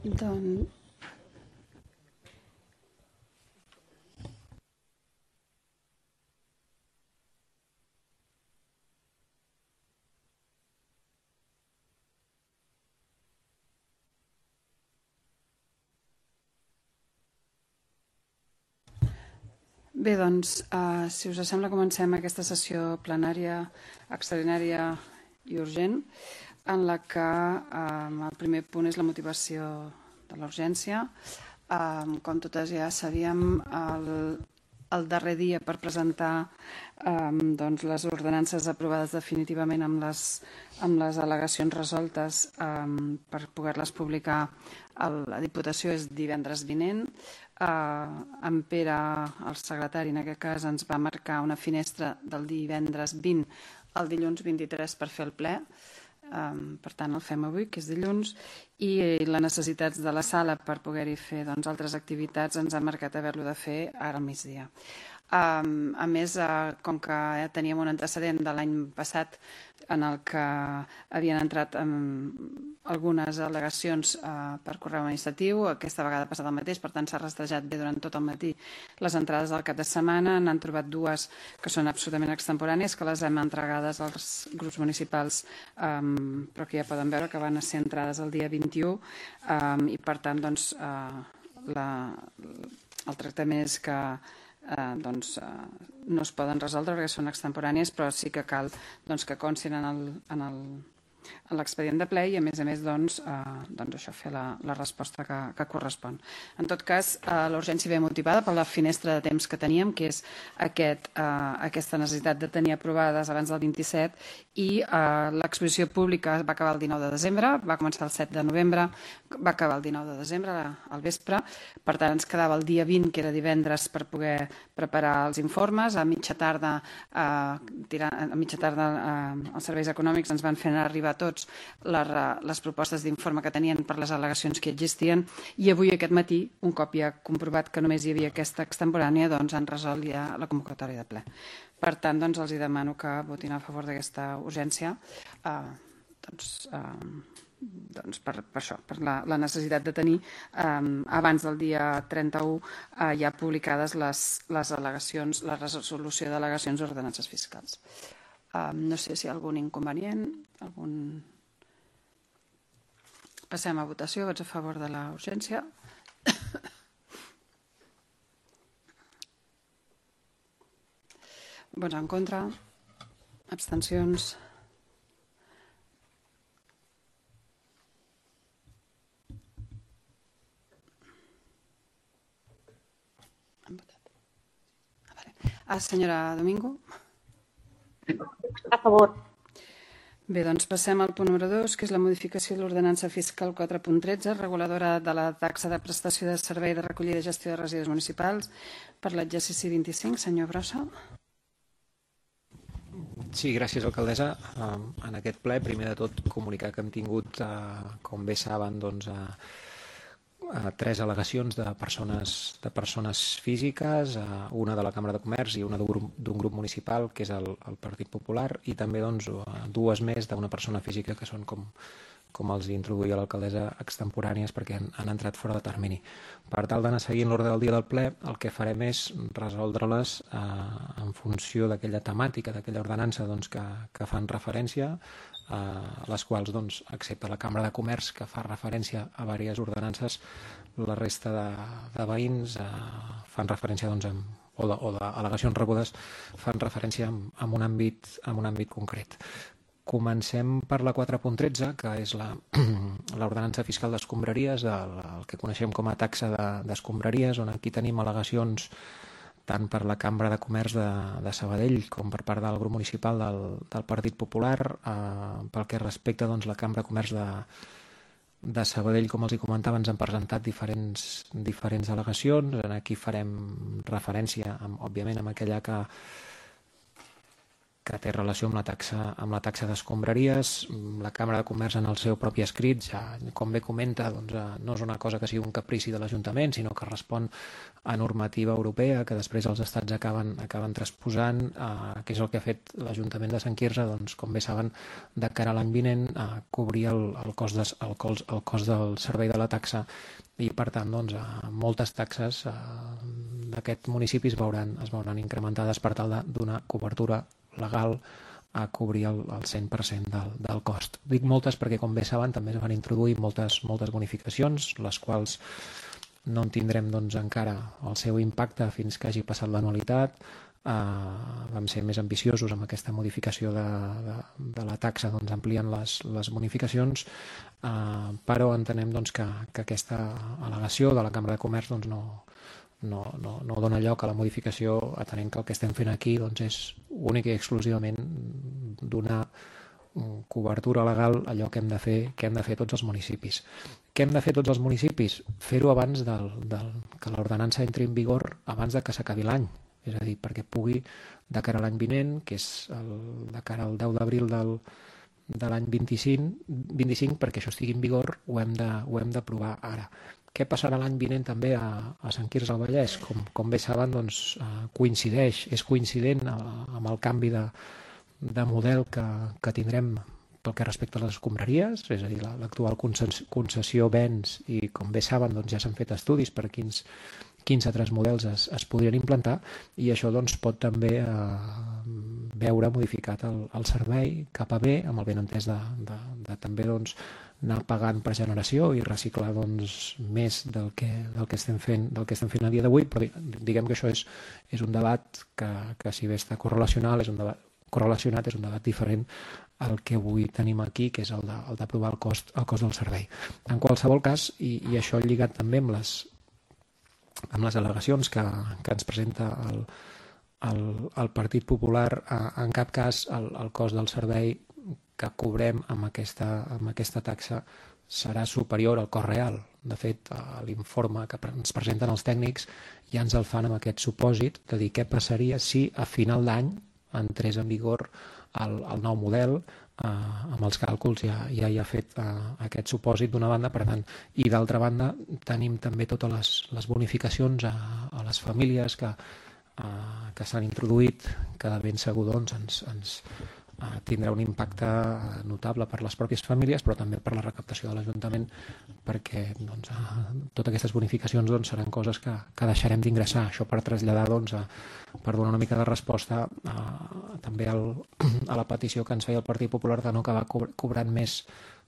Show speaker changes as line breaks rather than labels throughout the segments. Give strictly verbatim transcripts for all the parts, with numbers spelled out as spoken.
Doncs... Bé, doncs, uh, si us sembla, comencem aquesta sessió plenària extraordinària i urgent, en la que um, el primer punt és la motivació de la urgència. Um, com totes ja sabíem, el, el darrer dia per presentar um, doncs, les ordenances aprovades definitivament amb les, amb les al·legacions resoltes um, per poder-les publicar a la Diputació és divendres vinent. Uh, en Pere, el secretari, en aquest cas, ens va marcar una finestra del divendres vint al dilluns vint-i-tres per fer el ple. Um, per tant, el fem avui, que és dilluns, i les necessitats de la sala per poder-hi fer doncs, altres activitats ens ha marcat haver-lo de fer ara al migdia. Um, a més, uh, com que ja teníem un antecedent de l'any passat en el que havien entrat um, algunes al·legacions uh, per correu administratiu, aquesta vegada ha passat el mateix, per tant s'ha rastrejat bé durant tot el matí les entrades del cap de setmana, n'han trobat dues que són absolutament extemporànies, que les hem entregades als grups municipals, um, però que ja poden veure que van ser entrades el dia vint-i-u, um, i per tant doncs, uh, la, el tractament és que Eh, doncs, eh, no es poden resoldre perquè són extemporànies, però sí que cal doncs, que constin en el, en el, en l'expedient de ple i a més a més doncs, eh, doncs això, fer la, la resposta que, que correspon. En tot cas, eh, la urgència ve motivada per la finestra de temps que teníem, que és aquest, eh, aquesta necessitat de tenir aprovades abans del vint-i-set, i eh, l'exposició pública va acabar el dinou de desembre, va començar el set de novembre, va acabar el dinou de desembre al vespre, per tant ens quedava el dia vint, que era divendres, per poder preparar els informes. A mitja tarda, eh, tirant, a mitja tarda eh, els serveis econòmics ens van fer arribar a tots les, les propostes d'informe que tenien per les al·legacions que existien, i avui aquest matí, un cop ja comprovat que només hi havia aquesta extemporània, doncs han resolt ja la convocatòria de ple. Per tant, doncs, els demano que votin a favor d'aquesta urgència, eh, doncs, eh, doncs per, per això, per la, la necessitat de tenir eh, abans del dia trenta-u eh, ja publicades les, les al·legacions, la resolució d'al·legacions d'ordenances fiscals. Eh, no sé si hi ha algun inconvenient, algun... Passem a votació. Vots a favor de la urgència. Vots en contra. Abstencions. Han votat. Ah, vale. Ah, senyora Domingo.
A favor.
Bé, doncs passem al punt número dos, que és la modificació de l'ordenança fiscal quatre punt tretze, reguladora de la taxa de prestació de servei de recollida i gestió de residus municipals per l'exercici vint-i-cinc. Senyor Brossa.
Sí, gràcies, alcaldessa. En aquest ple, primer de tot, comunicar que hem tingut, com bé saben, doncs, tres al·legacions de persones, de persones físiques, una de la Cambra de Comerç i una d'un grup, d'un grup municipal, que és el, el Partit Popular, i també doncs, dues més d'una persona física, que són, com, com els introduïa l'alcaldessa, extemporànies perquè han, han entrat fora de termini. Per tal d'anar seguint l'ordre del dia del ple, el que farem és resoldre-les eh, en funció d'aquella temàtica, d'aquella ordenança doncs, que, que fan referència, a les quals, doncs, excepte la Cambra de Comerç, que fa referència a diverses ordenances, la resta de, de veïns eh, fan referència, doncs, amb, o d'al·legacions rebudes fan referència en, en, un àmbit, en un àmbit concret. Comencem per la quatre punt tretze, que és l'ordenança fiscal d'escombraries, el, el que coneixem com a taxa d'escombraries, on aquí tenim al·legacions tant per la Cambra de Comerç de, de Sabadell com per part del grup municipal del, del Partit Popular. Eh, pel que respecta, doncs, la Cambra de Comerç de, de Sabadell, com els hi comentava, ens han presentat diferents, diferents al·legacions. Aquí farem referència, amb, òbviament, amb aquella que que té relació amb la taxa, amb la taxa d'escombraries. La Càmera de Comerç en el seu propi escrit, ja, com bé comenta, doncs, no és una cosa que sigui un caprici de l'Ajuntament, sinó que respon a normativa europea que després els estats acaben, acaben transposant, eh, que és el que ha fet l'Ajuntament de Sant Quirze, doncs, com bé saben, de cara a l'any vinent, eh, cobrir el, el, cost de, el, cost, el cost del servei de la taxa i, per tant, doncs, eh, moltes taxes eh, d'aquests municipis veuran, es veuran incrementades per tal de donar cobertura legal a cobrir el, el cent per cent del, del cost. Dic moltes perquè, com bé saben, també es van introduir moltes, moltes bonificacions, les quals no en tindrem doncs, encara el seu impacte fins que hagi passat l'anualitat. Uh, vam ser més ambiciosos amb aquesta modificació de, de, de la taxa, doncs, ampliant les, les bonificacions, uh, però entenem doncs, que, que aquesta al·legació de la Càmera de Comerç doncs, no, no, no, no dona lloc a la modificació, atenent que el que estem fent aquí doncs, és únic i exclusivament donar cobertura legal a allò que hem de fer, que hem de fer tots els municipis. Què hem de fer tots els municipis? Fer-ho abans del, del, que l'ordenança entri en vigor, abans de que s'acabi l'any. És a dir, perquè pugui, de cara a l'any vinent, que és el, de cara al deu d'abril del, de l'any vint-i-cinc, vint-i-cinc, perquè això estigui en vigor, ho hem de, ho hem d'aprovar ara. Què passarà l'any vinent també a, a Sant Quirze del Vallès? Com, com bé saben, doncs, eh, coincideix, és coincident eh, amb el canvi de, de model que, que tindrem pel que respecta a les escombraries, és a dir, l'actual concessió béns, i com bé saben, doncs, ja s'han fet estudis per quins quins altres models es, es podrien implantar, i això doncs, pot també eh, veure modificat el, el servei cap a bé, amb el benentès de, de, de també doncs, anar pagant per generació i reciclar doncs, més del que, del, que estem fent, del que estem fent a dia d'avui, però diguem que això és, és un debat que, que si bé està correlacional, és un debat, correlacionat, és un debat diferent al que avui tenim aquí, que és el d'aprovar el, el cost, el cost del servei. En qualsevol cas, i, i això lligat també amb les amb les al·legacions que, que ens presenta el, el, el Partit Popular, en cap cas el, el cost del servei que cobrem amb aquesta, amb aquesta taxa serà superior al cost real. De fet, l'informe que ens presenten els tècnics ja ens el fan amb aquest supòsit de dir què passaria si a final d'any entrés en vigor el, el nou model. Uh, amb els càlculs ja, ja hi ha fet uh, aquest supòsit d'una banda, per tant, i d'altra banda tenim també totes les, les bonificacions a, a les famílies que, uh, que s'han introduït, que de ben segur doncs, ens, ens uh, tindrà un impacte notable per les pròpies famílies, però també per la recaptació de l'Ajuntament, perquè doncs, uh, totes aquestes bonificacions doncs, seran coses que, que deixarem d'ingressar. Això per traslladar, doncs, a, per donar una mica de resposta a, també al, a la petició que ens feia el Partit Popular de no acabar cobrant més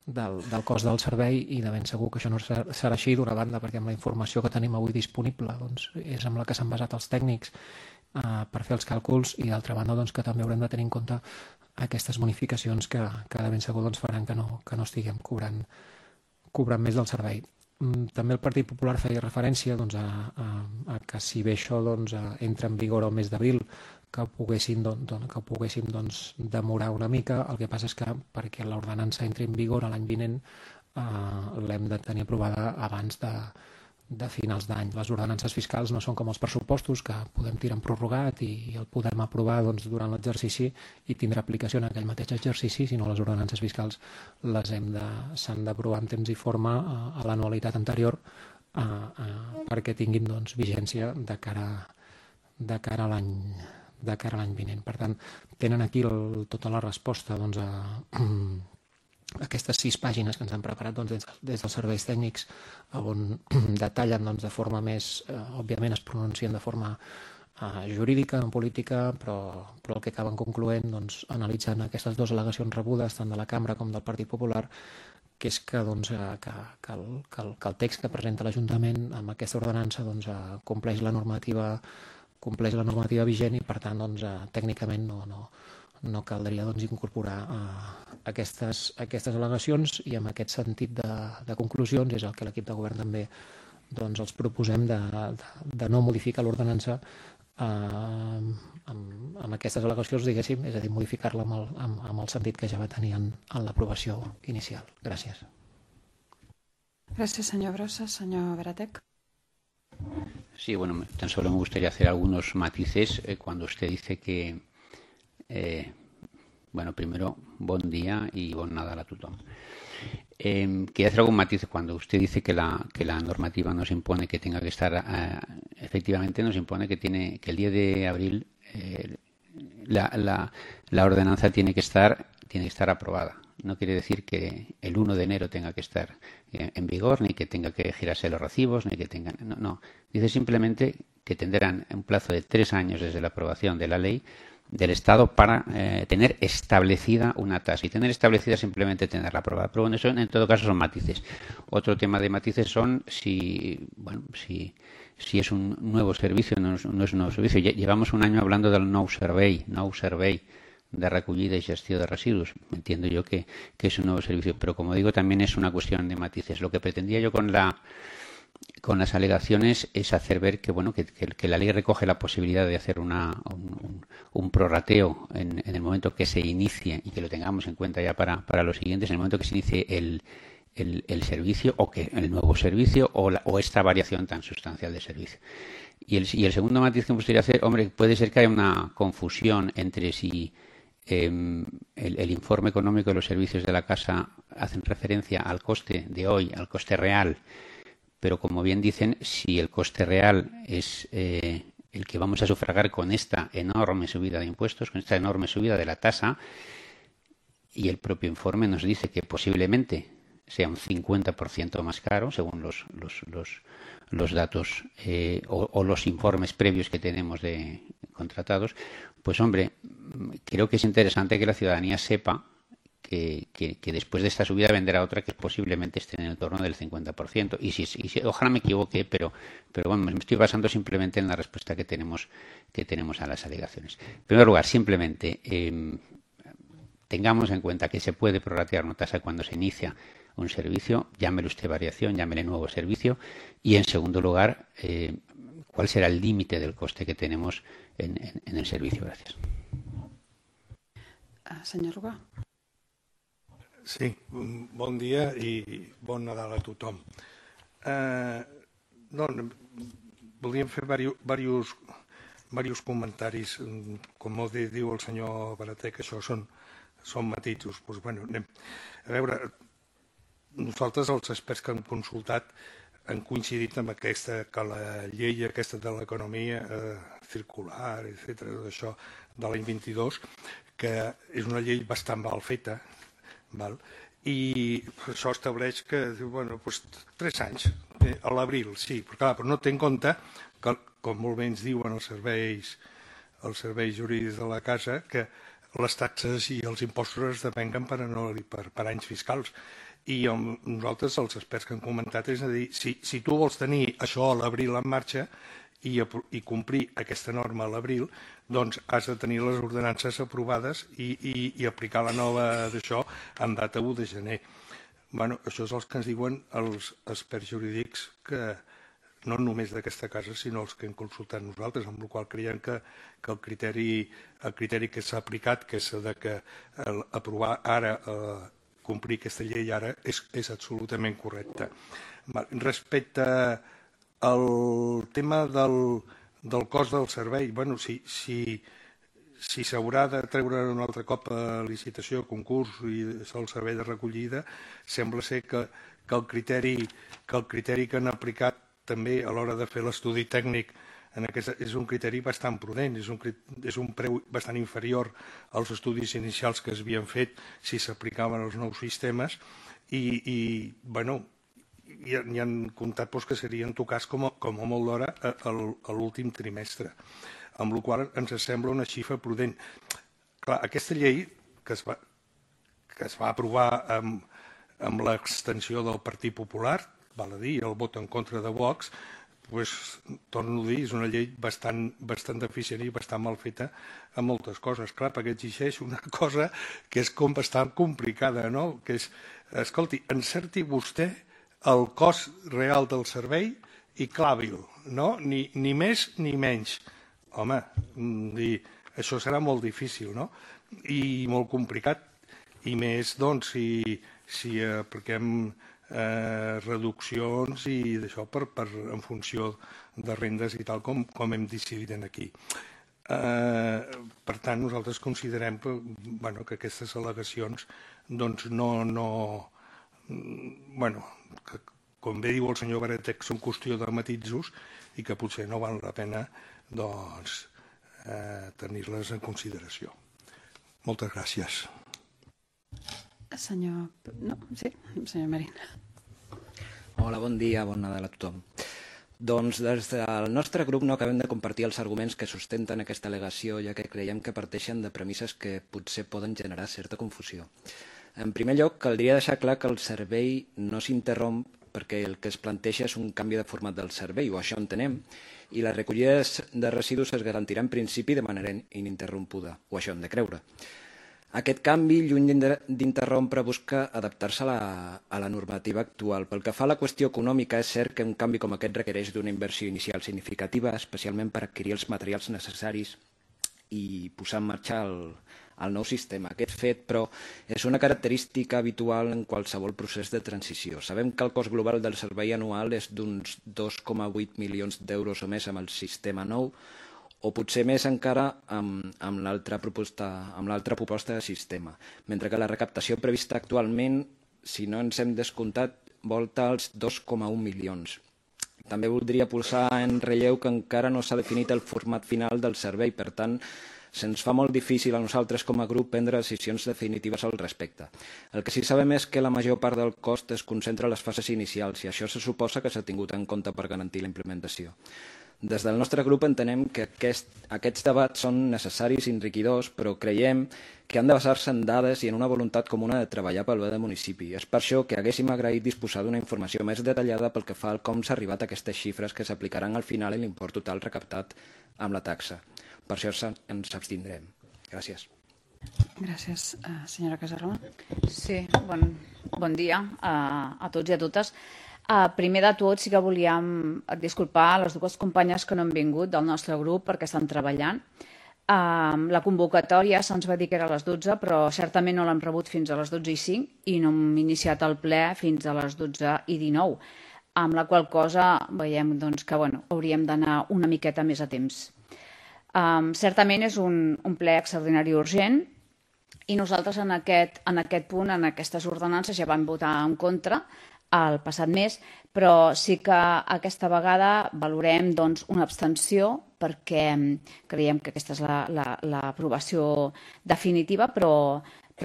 del, del cost del servei, i de ben segur que això no serà, serà així, d'una banda perquè amb la informació que tenim avui disponible doncs, és amb la que s'han basat els tècnics eh, per fer els càlculs, i d'altra banda doncs, que també haurem de tenir en compte aquestes bonificacions que, que de ben segur doncs, faran que no, que no estiguem cobrant, cobrant més del servei. També el Partit Popular feia referència doncs, a, a, a que si bé això doncs, entra en vigor el mes d'abril, que ho poguéssim, doncs, que ho poguéssim doncs, demorar una mica. El que passa és que perquè l'ordenança entri en vigor l'any vinent eh, l'hem de tenir aprovada abans de, de finals d'any. Les ordenances fiscals no són com els pressupostos, que podem tirar en prorrogat i, i el podem aprovar doncs, durant l'exercici i tindrà aplicació en aquell mateix exercici, sinó les ordenances fiscals les hem de, s'han d'aprovar en temps i forma a, a l'anualitat anterior a, a, perquè tinguin doncs, vigència de cara, de cara a l'any de cara a l'any vinent. Per tant, tenen aquí el, tota la resposta doncs, a aquestes sis pàgines que ens han preparat doncs, des, des dels serveis tècnics, on detallen doncs, de forma més, eh, òbviament es pronuncien de forma eh, jurídica, no política, però, però el que acaben concloent, doncs, analitzant aquestes dues al·legacions rebudes, tant de la Cambra com del Partit Popular, que és que, doncs, que, que, el, que, el, que el text que presenta l'Ajuntament amb aquesta ordenança doncs, compleix la normativa compleix la normativa vigent, i per tant doncs, eh, tècnicament no, no, no caldria doncs, incorporar eh, aquestes, aquestes al·legacions, i amb aquest sentit de, de conclusions és el que l'equip de govern també doncs, els proposem de, de, de no modificar l'ordenança eh, amb, amb aquestes al·legacions, diguéssim, és a dir, modificar-la amb, el, amb, amb el sentit que ja va tenir en, en l'aprovació inicial. Gràcies.
Gràcies, senyor Brossa. Senyor Beratec.
Sí, bueno, tan solo me gustaría hacer algunos matices eh, cuando usted dice que eh, Bueno, primero, buen día y bon Nadal a tothom. Eh, quería hacer algún matiz cuando usted dice que la, que la normativa nos impone que tenga que estar, eh, efectivamente nos impone que tiene que el diez de abril eh, la, la, la ordenanza tiene que estar tiene que estar aprobada. No quiere decir que el uno de enero tenga que estar eh, en vigor, ni que tenga que girarse los recibos, ni que tengan. No, no. Dice simplemente que tendrán un plazo de tres años desde la aprobación de la ley del Estado para eh, tener establecida una tasa. Y tener establecida simplemente tenerla aprobada. Pero bueno, eso en todo caso son matices. Otro tema de matices son si, bueno, si, si es un nuevo servicio o no, no es un nuevo servicio. Llevamos un año hablando del nou servei, nou servei de recollida y gestión de residuos. Entiendo yo que, que es un nuevo servicio, pero como digo, también es una cuestión de matices. Lo que pretendía yo con la con las alegaciones es hacer ver que bueno que, que, que la ley recoge la posibilidad de hacer una, un, un, un prorrateo en, en el momento que se inicie y que lo tengamos en cuenta ya para, para los siguientes, en el momento que se inicie el, el, el servicio o que el nuevo servicio o, la, o esta variación tan sustancial de servicio. Y el, y el segundo matiz que me gustaría hacer, hombre, puede ser que haya una confusión entre si eh, el, el informe económico de los servicios de la casa hacen referencia al coste de hoy, al coste real. Pero, como bien dicen, si el coste real es eh, el que vamos a sufragar con esta enorme subida de impuestos, con esta enorme subida de la tasa, y el propio informe nos dice que posiblemente sea un cincuenta por ciento más caro, según los, los, los, los datos eh, o, o los informes previos que tenemos de contratados, pues, hombre, creo que es interesante que la ciudadanía sepa Que, que, que después de esta subida vendrá otra que posiblemente esté en el torno del cincuenta por ciento. Y si, y si ojalá me equivoque, pero, pero bueno, me estoy basando simplemente en la respuesta que tenemos, que tenemos a las alegaciones. En primer lugar, simplemente eh, tengamos en cuenta que se puede prorratear una tasa cuando se inicia un servicio, llámele usted variación, llámele nuevo servicio, y en segundo lugar, eh, cuál será el límite del coste que tenemos en, en, en el servicio. Gracias.
Uh, senyor Rubà.
Sí, bon dia i bon Nadal a tothom. Eh, doncs, volíem fer diversos, diversos comentaris. Com molt diu el senyor Barater, que això són, són matisos. Pues, bueno, anem. A veure, nosaltres, els experts que hem consultat, han coincidit amb aquesta, que la llei aquesta de l'economia eh, circular, etcètera, d'això de l'any vint-i-dos, que és una llei bastant mal feta, val? I això estableix que, bueno, doncs, tres anys, eh, a l'abril, sí, però, clar, però no té en compte que, com molt bé ens diuen els serveis, els serveis jurídics de la casa, que les taxes i els impostos es depenguen per, per, per anys fiscals. I amb nosaltres, els experts que han comentat, és a dir, si, si tu vols tenir això a l'abril en marxa i, i complir aquesta norma a l'abril, doncs has de tenir les ordenances aprovades i, i, i aplicar la nova d'això en data u de gener. Bueno, això és el que ens diuen els experts jurídics, que no només d'aquesta casa, sinó els que hem consultat nosaltres, amb la qual creiem que, que el, criteri, el criteri que s'ha aplicat, que és de que el, aprovar ara, eh, complir aquesta llei ara, és, és absolutament correcte. Respecte al tema del, del cost del servei, bueno, si, si, si s'haurà de treure un altre cop a licitació, concurs i el servei de recollida, sembla ser que, que, el criteri, que el criteri que han aplicat també a l'hora de fer l'estudi tècnic en aquesta, és un criteri bastant prudent, és un, és un preu bastant inferior als estudis inicials que es havien fet si s'aplicaven els nous sistemes i, i bueno, i hi han comptat doncs, que seria en tot cas com a, com a molt d'hora a, a l'últim trimestre, amb la qual ens sembla una xifra prudent. Clar, aquesta llei que es va, que es va aprovar amb, amb l'extensió del Partit Popular, val a dir, el vot en contra de Vox, pues, torno a dir, és una llei bastant, bastant deficient i bastant mal feta en moltes coses. Clar, perquè exigeix una cosa que és com bastant complicada, no? Que és, escolti, encerti vostè el cost real del servei i clavi-lo, no? Ni, ni més ni menys. Home, dir, això serà molt difícil, no? I molt complicat. I més, doncs, si, si apliquem eh, reduccions i d'això per, per, en funció de rendes i tal com, com hem decidit aquí. Per tant, nosaltres considerem que aquestes al·legacions no... Bueno, com bé diu el senyor Baratec, són qüestió de matisos i que potser no val la pena tenir-les en consideració. Moltes gràcies.
Senyor... No, sí, senyor Marín.
Hola, bon dia, bon Nadal a tothom. Doncs des del nostre grup no acabem de compartir els arguments que sustenten aquesta al·legació, ja que creiem que parteixen de premisses que potser poden generar certa confusió. En primer lloc, caldria deixar clar que el servei no s'interromp perquè el que es planteja és un canvi de format del servei, o això entenem, i la recollida de residus es garantirà en principi de manera ininterrompuda, o això hem de creure. Aquest canvi, lluny d'interrompre, busca adaptar-se a la normativa actual. Pel que fa a la qüestió econòmica, és cert que un canvi com aquest requereix d'una inversió inicial significativa, especialment per adquirir els materials necessaris i posar en marxa el nou sistema. Aquest fet, però, és una característica habitual en qualsevol procés de transició. Sabem que el cost global del servei anual és d'uns dos coma vuit milions d'euros o més amb el sistema nou, o potser més encara amb l'altra proposta de sistema, mentre que la recaptació prevista actualment, si no ens hem descomptat, volta als dos coma un milions. També voldria posar en relleu que encara no s'ha definit el format final del servei, per tant, se'ns fa molt difícil a nosaltres com a grup prendre decisions definitives al respecte. El que sí sabem és que la major part del cost es concentra a les fases inicials i això se suposa que s'ha tingut en compte per garantir la implementació. Des del nostre grup entenem que aquests debats són necessaris i enriquidors, però creiem que han de basar-se en dades i en una voluntat comuna de treballar pel bé del municipi. És per això que haguéssim agraït disposar d'una informació més detallada pel que fa al com s'ha arribat a aquestes xifres que s'aplicaran al final en l'import total recaptat amb la taxa. Per això ens abstindrem. Gràcies.
Gràcies. Senyora Casarrona.
Sí, bon dia a tots i a totes. Primer de tot, sí que volíem disculpar les dues companyes que no han vingut del nostre grup perquè estan treballant. La convocatòria se'ns va dir que era a les dotze, però certament no l'hem rebut fins a les dotze i cinc i no hem iniciat el ple fins a les dotze i dinou, amb la qual cosa veiem que hauríem d'anar una miqueta més a temps. Certament és un ple extraordinari urgent i nosaltres en aquest punt, en aquestes ordenances, ja vam votar en contra el passat mes, però sí que aquesta vegada valorem una abstenció perquè creiem que aquesta és l'aprovació definitiva, però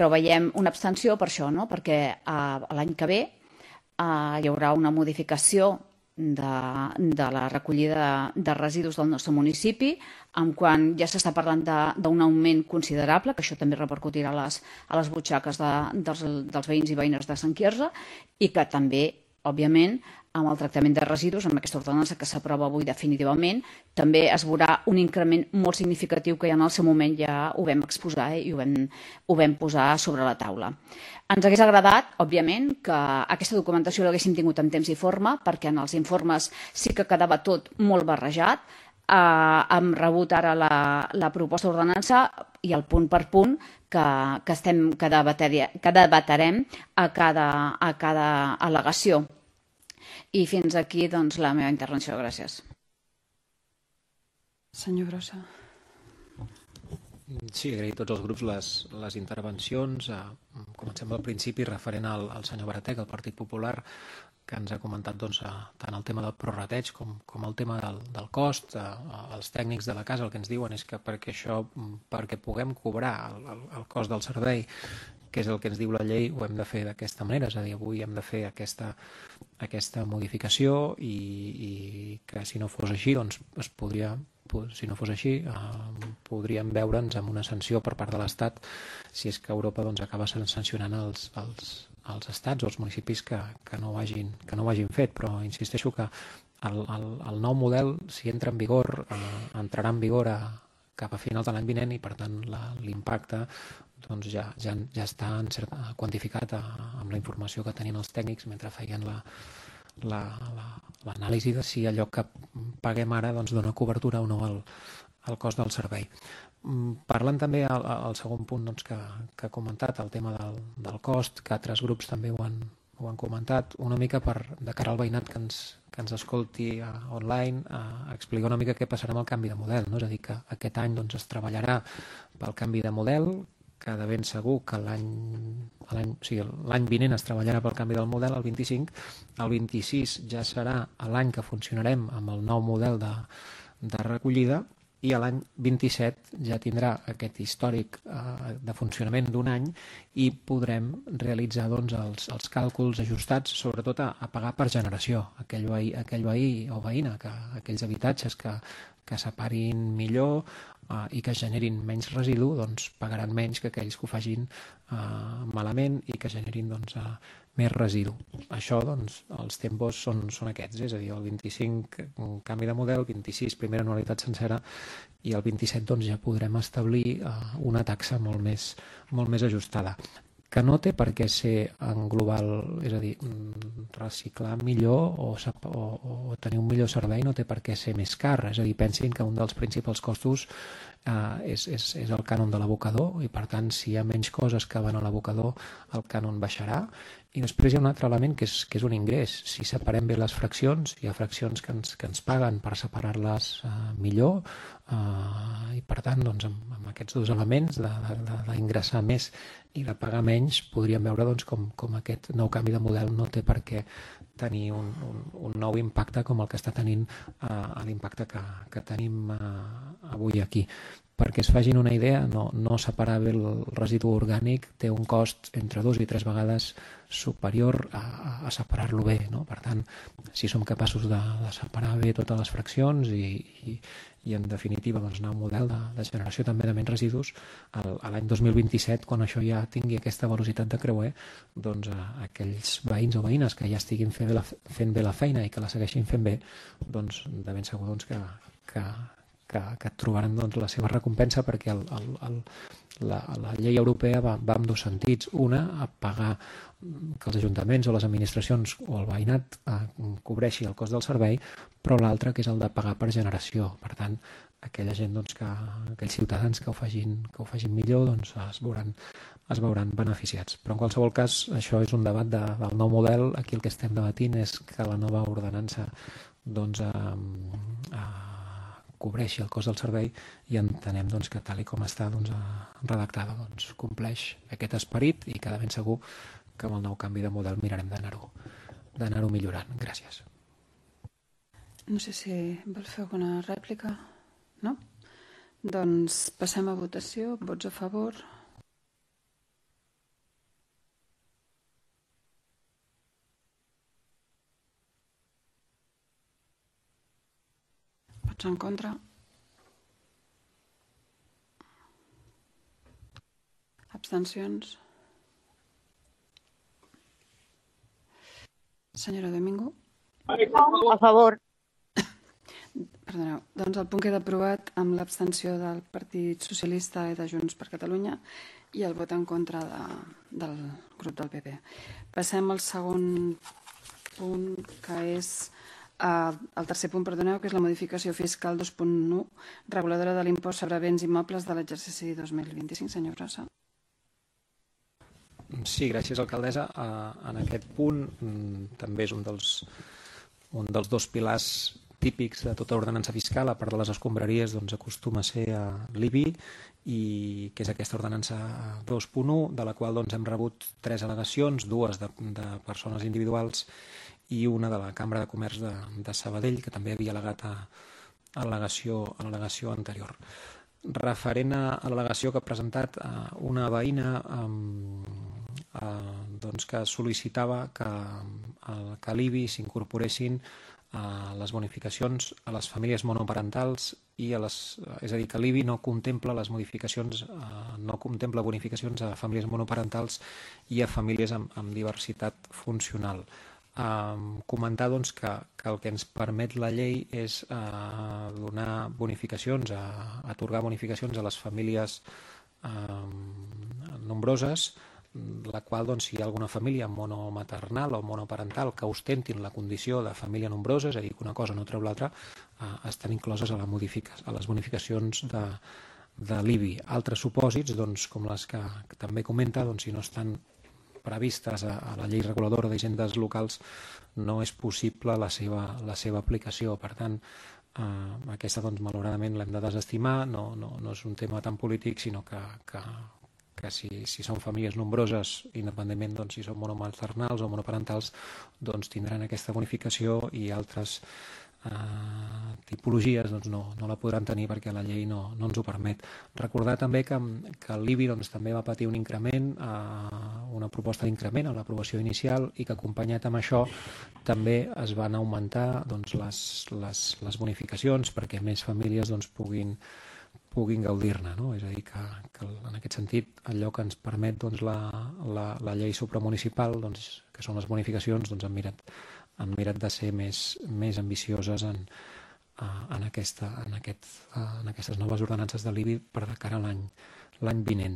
veiem una abstenció per això, perquè l'any que ve hi haurà una modificació de la recollida de residus del nostre municipi, en quan ja s'està parlant d'un augment considerable, que això també repercutirà a les butxaques dels veïns i veïnes de Sant Quirze, i que també, òbviament, amb el tractament de residus, amb aquesta ordenança que s'aprova avui definitivament, també es veurà un increment molt significatiu que ja en el seu moment ja ho vam exposar i ho vam posar sobre la taula. Ens hagués agradat, òbviament, que aquesta documentació l'haguéssim tingut en temps i forma, perquè en els informes sí que quedava tot molt barrejat. Hem rebut ara la proposta d'ordenança i el punt per punt que debatarem a cada al·legació. I fins aquí la meva intervenció. Gràcies.
Senyor Brossa.
Sí, agrair a tots els grups les intervencions. Comencem pel principi referent al senyor Baratec, del Partit Popular, que ens ha comentat tant el tema del prorrateig com el tema del cost. Els tècnics de la casa el que ens diuen és que perquè puguem cobrar el cost del servei, que és el que ens diu la llei, ho hem de fer d'aquesta manera, és a dir, avui hem de fer aquesta modificació i que si no fos així, doncs es podria, si no fos així, podríem veure'ns amb una sanció per part de l'Estat si és que Europa acaba sancionant els estats o els municipis que no ho hagin fet, però insisteixo que el nou model, si entra en vigor, entrarà en vigor cap a finals de l'any vinent i per tant l'impacte ja està quantificat amb la informació que tenien els tècnics mentre feien l'anàlisi de si allò que paguem ara dona cobertura o no al cost del servei. Parlant també al segon punt que ha comentat, el tema del cost, que altres grups també ho han comentat, una mica de cara al veïnat que que ens escolti uh, online uh, explicar una mica què passarà amb el canvi de model, no? És a dir, que aquest any doncs, es treballarà pel canvi de model, que de ben segur que l'any l'any o sigui, l'any vinent es treballarà pel canvi del model, el vint-i-cinc, el vint-i-sis ja serà l'any que funcionarem amb el nou model de, de recollida, i l'any vint-i-set ja tindrà aquest històric eh, de funcionament d'un any i podrem realitzar doncs, els, els càlculs ajustats, sobretot a, a pagar per generació. Aquell veí, aquell veí o veïna, que, aquells habitatges que, que separin millor eh, i que generin menys residu, doncs pagaran menys que aquells que ho facin eh, malament i que generin doncs, eh, més residu. Això, doncs, els tempos són, són aquests, és a dir, el vint-i-cinc un canvi de model, vint-i-sis primera anualitat sencera i el vint-i-set doncs, ja podrem establir uh, una taxa molt més, molt més ajustada, que no té per què ser en global, és a dir, reciclar millor o, o, o tenir un millor servei no té per què ser més car, és a dir, pensin que un dels principals costos Uh, és, és, és el cànon de l'abocador i per tant si hi ha menys coses que van a l'abocador el cànon baixarà i després hi ha un altre element que és, que és un ingrés. Si separem bé les fraccions, hi ha fraccions que ens, que ens paguen per separar-les uh, millor uh, i per tant doncs, amb, amb aquests dos elements d'ingressar més i de pagar menys podríem veure doncs, com, com aquest nou canvi de model no té per què tenir un, un, un nou impacte com el que està tenint uh, l'impacte que, que tenim uh, avui aquí. Perquè es facin una idea, no, no separar bé el residu orgànic té un cost entre dos i tres vegades superior a, a separar-lo bé. No? Per tant, si som capaços de, de separar bé totes les fraccions i, i, i en definitiva doncs, anar a un model de, de generació també de menys residus, el, a l'any dos mil vint-i-set, quan això ja tingui aquesta velocitat de creuer, doncs a, aquells veïns o veïnes que ja estiguin fent bé la, fent bé la feina i que la segueixin fent bé, doncs de ben segur doncs, que, que Que, que trobaran doncs, la seva recompensa perquè el, el, el, la, la llei europea va, va en dos sentits. Una, a pagar que els ajuntaments o les administracions o el veïnat eh, cobreixi el cost del servei, però l'altra que és el de pagar per generació. Per tant, aquella gent, doncs, que, aquells ciutadans que ho facin, que ho facin millor doncs, es, veuran, es veuran beneficiats. Però en qualsevol cas, això és un debat de, del nou model. Aquí el que estem debatint és que la nova ordenança doncs, eh, eh, cobreixi el cost del servei i entenem doncs, que tal i com està doncs, redactada doncs, compleix aquest esperit i que de ben segur que amb el nou canvi de model mirarem d'anar-ho d'anar-ho millorant. Gràcies.
No sé si vol fer alguna rèplica. No? Doncs passem a votació. Vots a favor? Vots en contra? Abstencions? Senyora Domingo?
A favor.
Perdoneu. Doncs el punt queda aprovat amb l'abstenció del Partit Socialista i de Junts per Catalunya i el vot en contra de, del grup del P P. Passem al segon punt, que és Uh, el tercer punt, perdoneu, que és la modificació fiscal dos punt u, reguladora de l'impost sobre béns immobles de l'exercici dos mil vint-i-cinc. Senyor Brossa.
Sí, gràcies, alcaldessa. Uh, en aquest punt um, també és un dels, un dels dos pilars típics de tota ordenança fiscal, a part de les escombraries, doncs acostuma a ser uh, l'I B I, i que és aquesta ordenança dos punt u, de la qual doncs, hem rebut tres al·legacions, dues de, de persones individuals i una de la Cambra de Comerç de, de Sabadell, que també havia al·legat a, a l'al·legació anterior. Referent a, a l'al·legació que ha presentat a una veïna um, uh, doncs que sol·licitava que, uh, que a l'I B I s'incorporessin a les bonificacions a les famílies monoparentals i a les, és a dir, que l'I B I no contempla les modificacions, uh, no contempla bonificacions a famílies monoparentals i a famílies amb, amb diversitat funcional. Um, comentar doncs, que, que el que ens permet la llei és uh, donar bonificacions, a, atorgar bonificacions a les famílies um, nombroses, la qual, doncs, si hi ha alguna família monomaternal o monoparental que ostentin la condició de família nombrosa, és a dir, que una cosa no treu l'altra, uh, estan incloses a, la a les bonificacions de, de l'I B I. Altres supòsits, doncs, com les que, que també comenta, doncs, si no estan previstes a, a la llei reguladora d'hisendes locals no és possible la seva, la seva aplicació. Per tant, eh, aquesta, doncs, malauradament l'hem de desestimar. No, no, no és un tema tan polític, sinó que, que, que si, si són famílies nombroses, independentment, doncs, si són monomaternals o monoparentals, doncs tindran aquesta bonificació, i altres Uh, tipologies doncs no, no la podran tenir perquè la llei no, no ens ho permet. Recordar també que, que l'I B I doncs, també va patir un increment, uh, una proposta d'increment a l'aprovació inicial, i que acompanyat amb això també es van augmentar doncs, les, les, les bonificacions perquè més famílies doncs, puguin, puguin gaudir-ne, no? És a dir, que, que en aquest sentit allò que ens permet doncs, la, la, la llei supramunicipal, doncs, que són les bonificacions, doncs, han mirat han mirat de ser més, més ambicioses en, en, aquesta, en, aquest, en aquestes noves ordenances de l'I B I per de cara a l'any l'any vinent.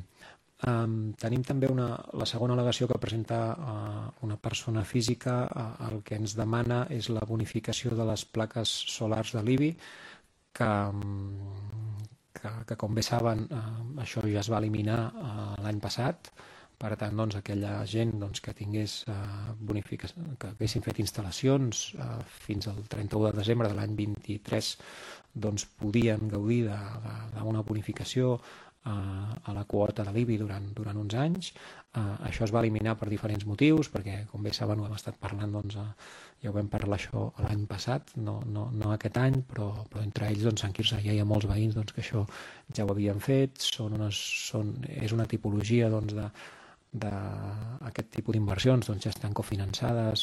Um, tenim també una, la segona al·legació que presenta uh, una persona física. Uh, el que ens demana és la bonificació de les plaques solars de l'I B I, que, que, que com bé saben, uh, això ja es va eliminar uh, l'any passat. Per tant, doncs, aquella gent doncs, que tingués eh, bonificació, que haguessin fet instal·lacions eh, fins al trenta-u de desembre de l'any vint-i-tres, doncs podien gaudir d'una bonificació eh, a la quota de l'I B I durant, durant uns anys. Eh, això es va eliminar per diferents motius, perquè, com bé saben, ho hem estat parlant, doncs, eh, ja ho vam parlar això l'any passat, no, no, no aquest any, però, però entre ells, doncs, Sant Quirze ja hi ha molts veïns doncs, que això ja ho havien fet. Són unes, són, és una tipologia doncs, de d'aquest tipus d'inversions, doncs, ja estan cofinançades.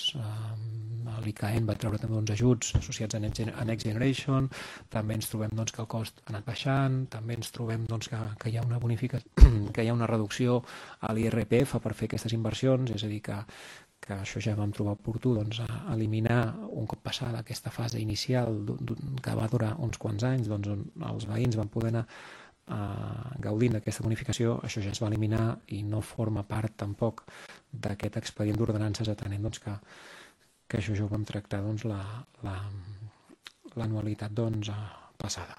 L'I C A E N va treure també uns ajuts associats a Next Generation. També ens trobem doncs, que el cost ha anat baixant. També ens trobem doncs, que, que hi ha una bonificació, que hi ha una reducció a l'I R P F per fer aquestes inversions. És a dir, que, que això ja vam trobar oportú, doncs, a eliminar un cop passada aquesta fase inicial que va durar uns quants anys, doncs, on els veïns van poder anar Uh, gaudint d'aquesta bonificació. Això ja es va eliminar i no forma part tampoc d'aquest expedient d'ordenances, atenent doncs, que, que això ja ho vam tractar doncs, l'anualitat la, la, doncs, passada.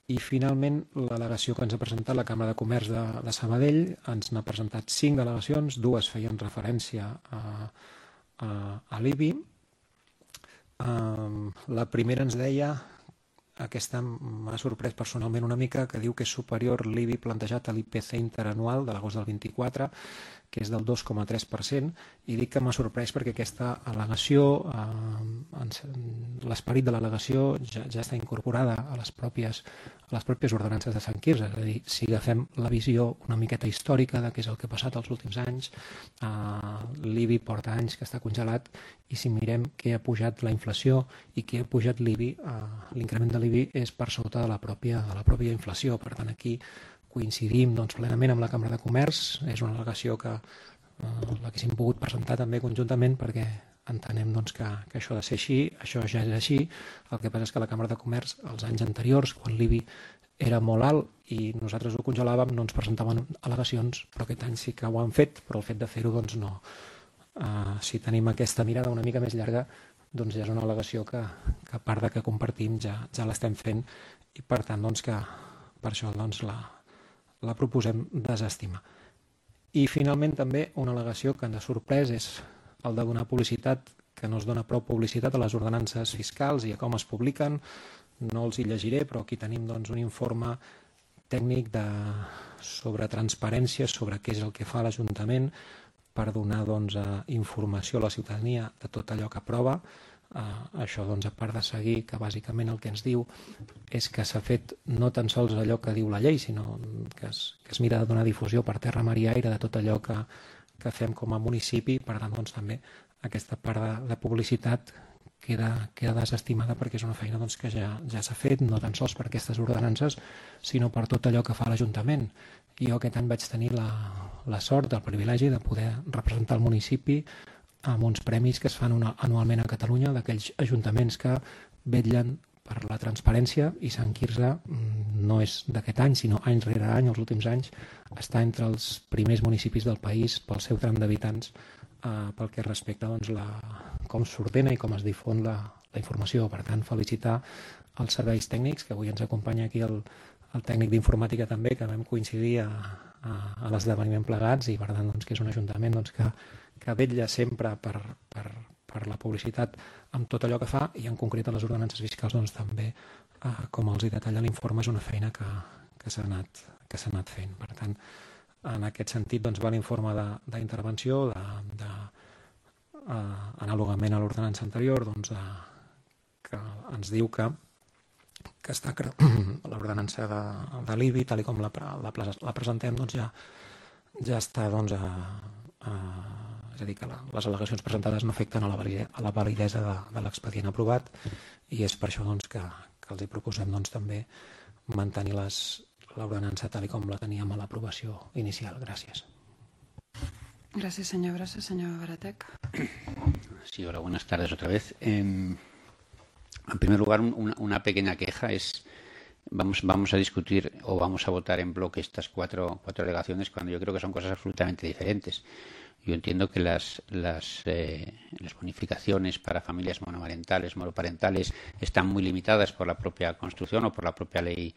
I finalment l'al·legació que ens ha presentat la Cambra de Comerç de, de Sabadell. Ens n'ha presentat cinc al·legacions, dues feien referència a, a, a l'I B I. Uh, la primera ens deia, aquesta m'ha sorprès personalment una mica, que diu que és superior l'I B I plantejat a l'I P C interanual de l'agost del vint-i-quatre, que és del dos coma tres per cent, i dic que m'ha sorprès perquè aquesta al·legació, eh, l'esperit de l'al·legació ja, ja està incorporada a les pròpies, a les pròpies ordenances de Sant Quirze. És a dir, si agafem la visió una miqueta històrica de què és el que ha passat els últims anys, eh, l'I B I porta anys que està congelat, i si mirem què ha pujat la inflació i què ha pujat l'I B I, eh, l'increment de l'I B I és per sota de la pròpia, de la pròpia inflació. Per tant, aquí coincidim doncs, plenament amb la Cambra de Comerç. És una al·legació que eh, l'haguéssim pogut presentar també conjuntament, perquè entenem doncs, que, que això ha de ser així. Això ja és així. El que passa és que la Cambra de Comerç, els anys anteriors, quan l'I B I era molt alt i nosaltres ho congelàvem, no ens presentaven al·legacions, però aquest any sí que ho han fet, però el fet de fer-ho doncs, no. Uh, si tenim aquesta mirada una mica més llarga, doncs ja és una al·legació que, que a part de que compartim ja, ja l'estem fent, i per tant doncs, que per això doncs, la la proposem desestimar. I finalment també una al·legació que ens ha sorprès és el de donar publicitat, que no es dona prou publicitat a les ordenances fiscals i a com es publiquen. No els hi llegiré, però aquí tenim doncs, un informe tècnic de, sobre transparència, sobre què és el que fa l'Ajuntament per donar doncs, informació a la ciutadania de tot allò que aprova. Uh, això, doncs, a part de seguir, que bàsicament el que ens diu és que s'ha fet no tan sols allò que diu la llei, sinó que es, que es mira de donar difusió per terra, mar i aire de tot allò que, que fem com a municipi. Per tant, doncs, també aquesta part de, de publicitat queda, queda desestimada, perquè és una feina doncs, que ja, ja s'ha fet, no tan sols per aquestes ordenances, sinó per tot allò que fa l'Ajuntament. Jo aquest any vaig tenir la, la sort, el privilegi de poder representar el municipi amb uns premis que es fan una, anualment a Catalunya, d'aquells ajuntaments que vetllen per la transparència, i Sant Quirze no és d'aquest any, sinó any rere any, els últims anys, està entre els primers municipis del país pel seu tram d'habitants, eh, pel que respecta doncs, la, com s'ordena i com es difon la, la informació. Per tant, felicitar els serveis tècnics, que avui ens acompanya aquí el, el tècnic d'informàtica també, que vam coincidir a, a l'esdeveniment plegats i, per tant, doncs, que és un ajuntament doncs, que, que vetlla sempre per, per, per la publicitat amb tot allò que fa i, en concret, a les ordenances fiscals doncs, també, eh, com els hi detalla l'informe, és una feina que, que s'ha anat, que s'ha anat fent. Per tant, en aquest sentit, doncs, va l'informe d'intervenció, de, de, eh, anàlogament a l'ordenança anterior, doncs, de, que ens diu que que està l'ordenança de, de l'I B I, tal com la, la, la presentem, doncs ja, ja està, doncs, a, a, és a dir, que la, les al·legacions presentades no afecten a la, valide, a la validesa de, de l'expedient aprovat i és per això doncs, que, que els hi proposem doncs, també mantenir l'ordenança tal com la teníem a l'aprovació inicial. Gràcies.
Gràcies, senyor Brossa. Senyor Baratec.
Sí, hola, buenas tardes otra vez. Eh... En primer lugar, una, una pequeña queja es, vamos, vamos a discutir o vamos a votar en bloque estas cuatro, cuatro alegaciones cuando yo creo que son cosas absolutamente diferentes. Yo entiendo que las, las, eh, las bonificaciones para familias monomarentales, monoparentales, están muy limitadas por la propia construcción o por la propia ley,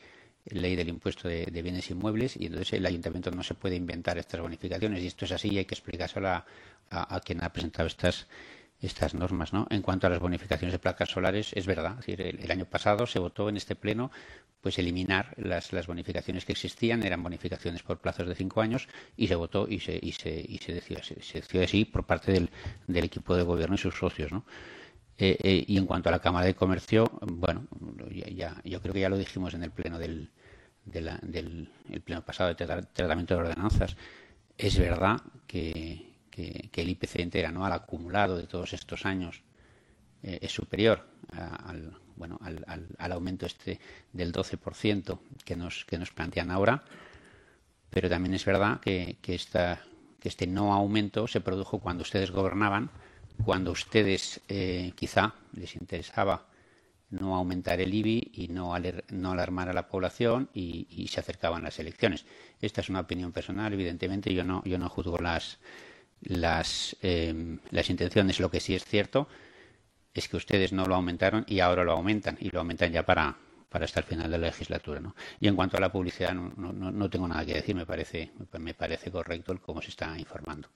ley del impuesto de, de bienes inmuebles y entonces el ayuntamiento no se puede inventar estas bonificaciones y esto es así y hay que explicárselo a, a, a quien ha presentado estas estas normas, ¿no? En cuanto a las bonificaciones de placas solares, es verdad, es decir, el, el año pasado se votó en este pleno pues eliminar las, las bonificaciones que existían, eran bonificaciones por plazos de cinco años y se votó y se y se y se decidió, se, se decidió así por parte del, del equipo de gobierno y sus socios, ¿no? Eh, eh, y en cuanto a la Cámara de Comercio, bueno, ya, ya yo creo que ya lo dijimos en el pleno del de la, del el pleno pasado de tra tratamiento de ordenanzas. Es verdad que Que, que el I P C interanual acumulado de todos estos años eh, es superior a, al, bueno, al, al, al aumento este del doce por ciento que nos, que nos plantean ahora, pero también es verdad que, que, esta, que este no aumento se produjo cuando ustedes gobernaban, cuando ustedes eh, quizá les interesaba no aumentar el I B I y no, aler, no alarmar a la población y, y se acercaban las elecciones. Esta es una opinión personal, evidentemente yo no, yo no juzgo las Las, eh, las intenciones. Lo que sí es cierto es que ustedes no lo aumentaron y ahora lo aumentan y lo aumentan ya para, para hasta el final de la legislatura, ¿no? Y en cuanto a la publicidad no, no, no tengo nada que decir, me parece, me parece correcto el cómo se está informando.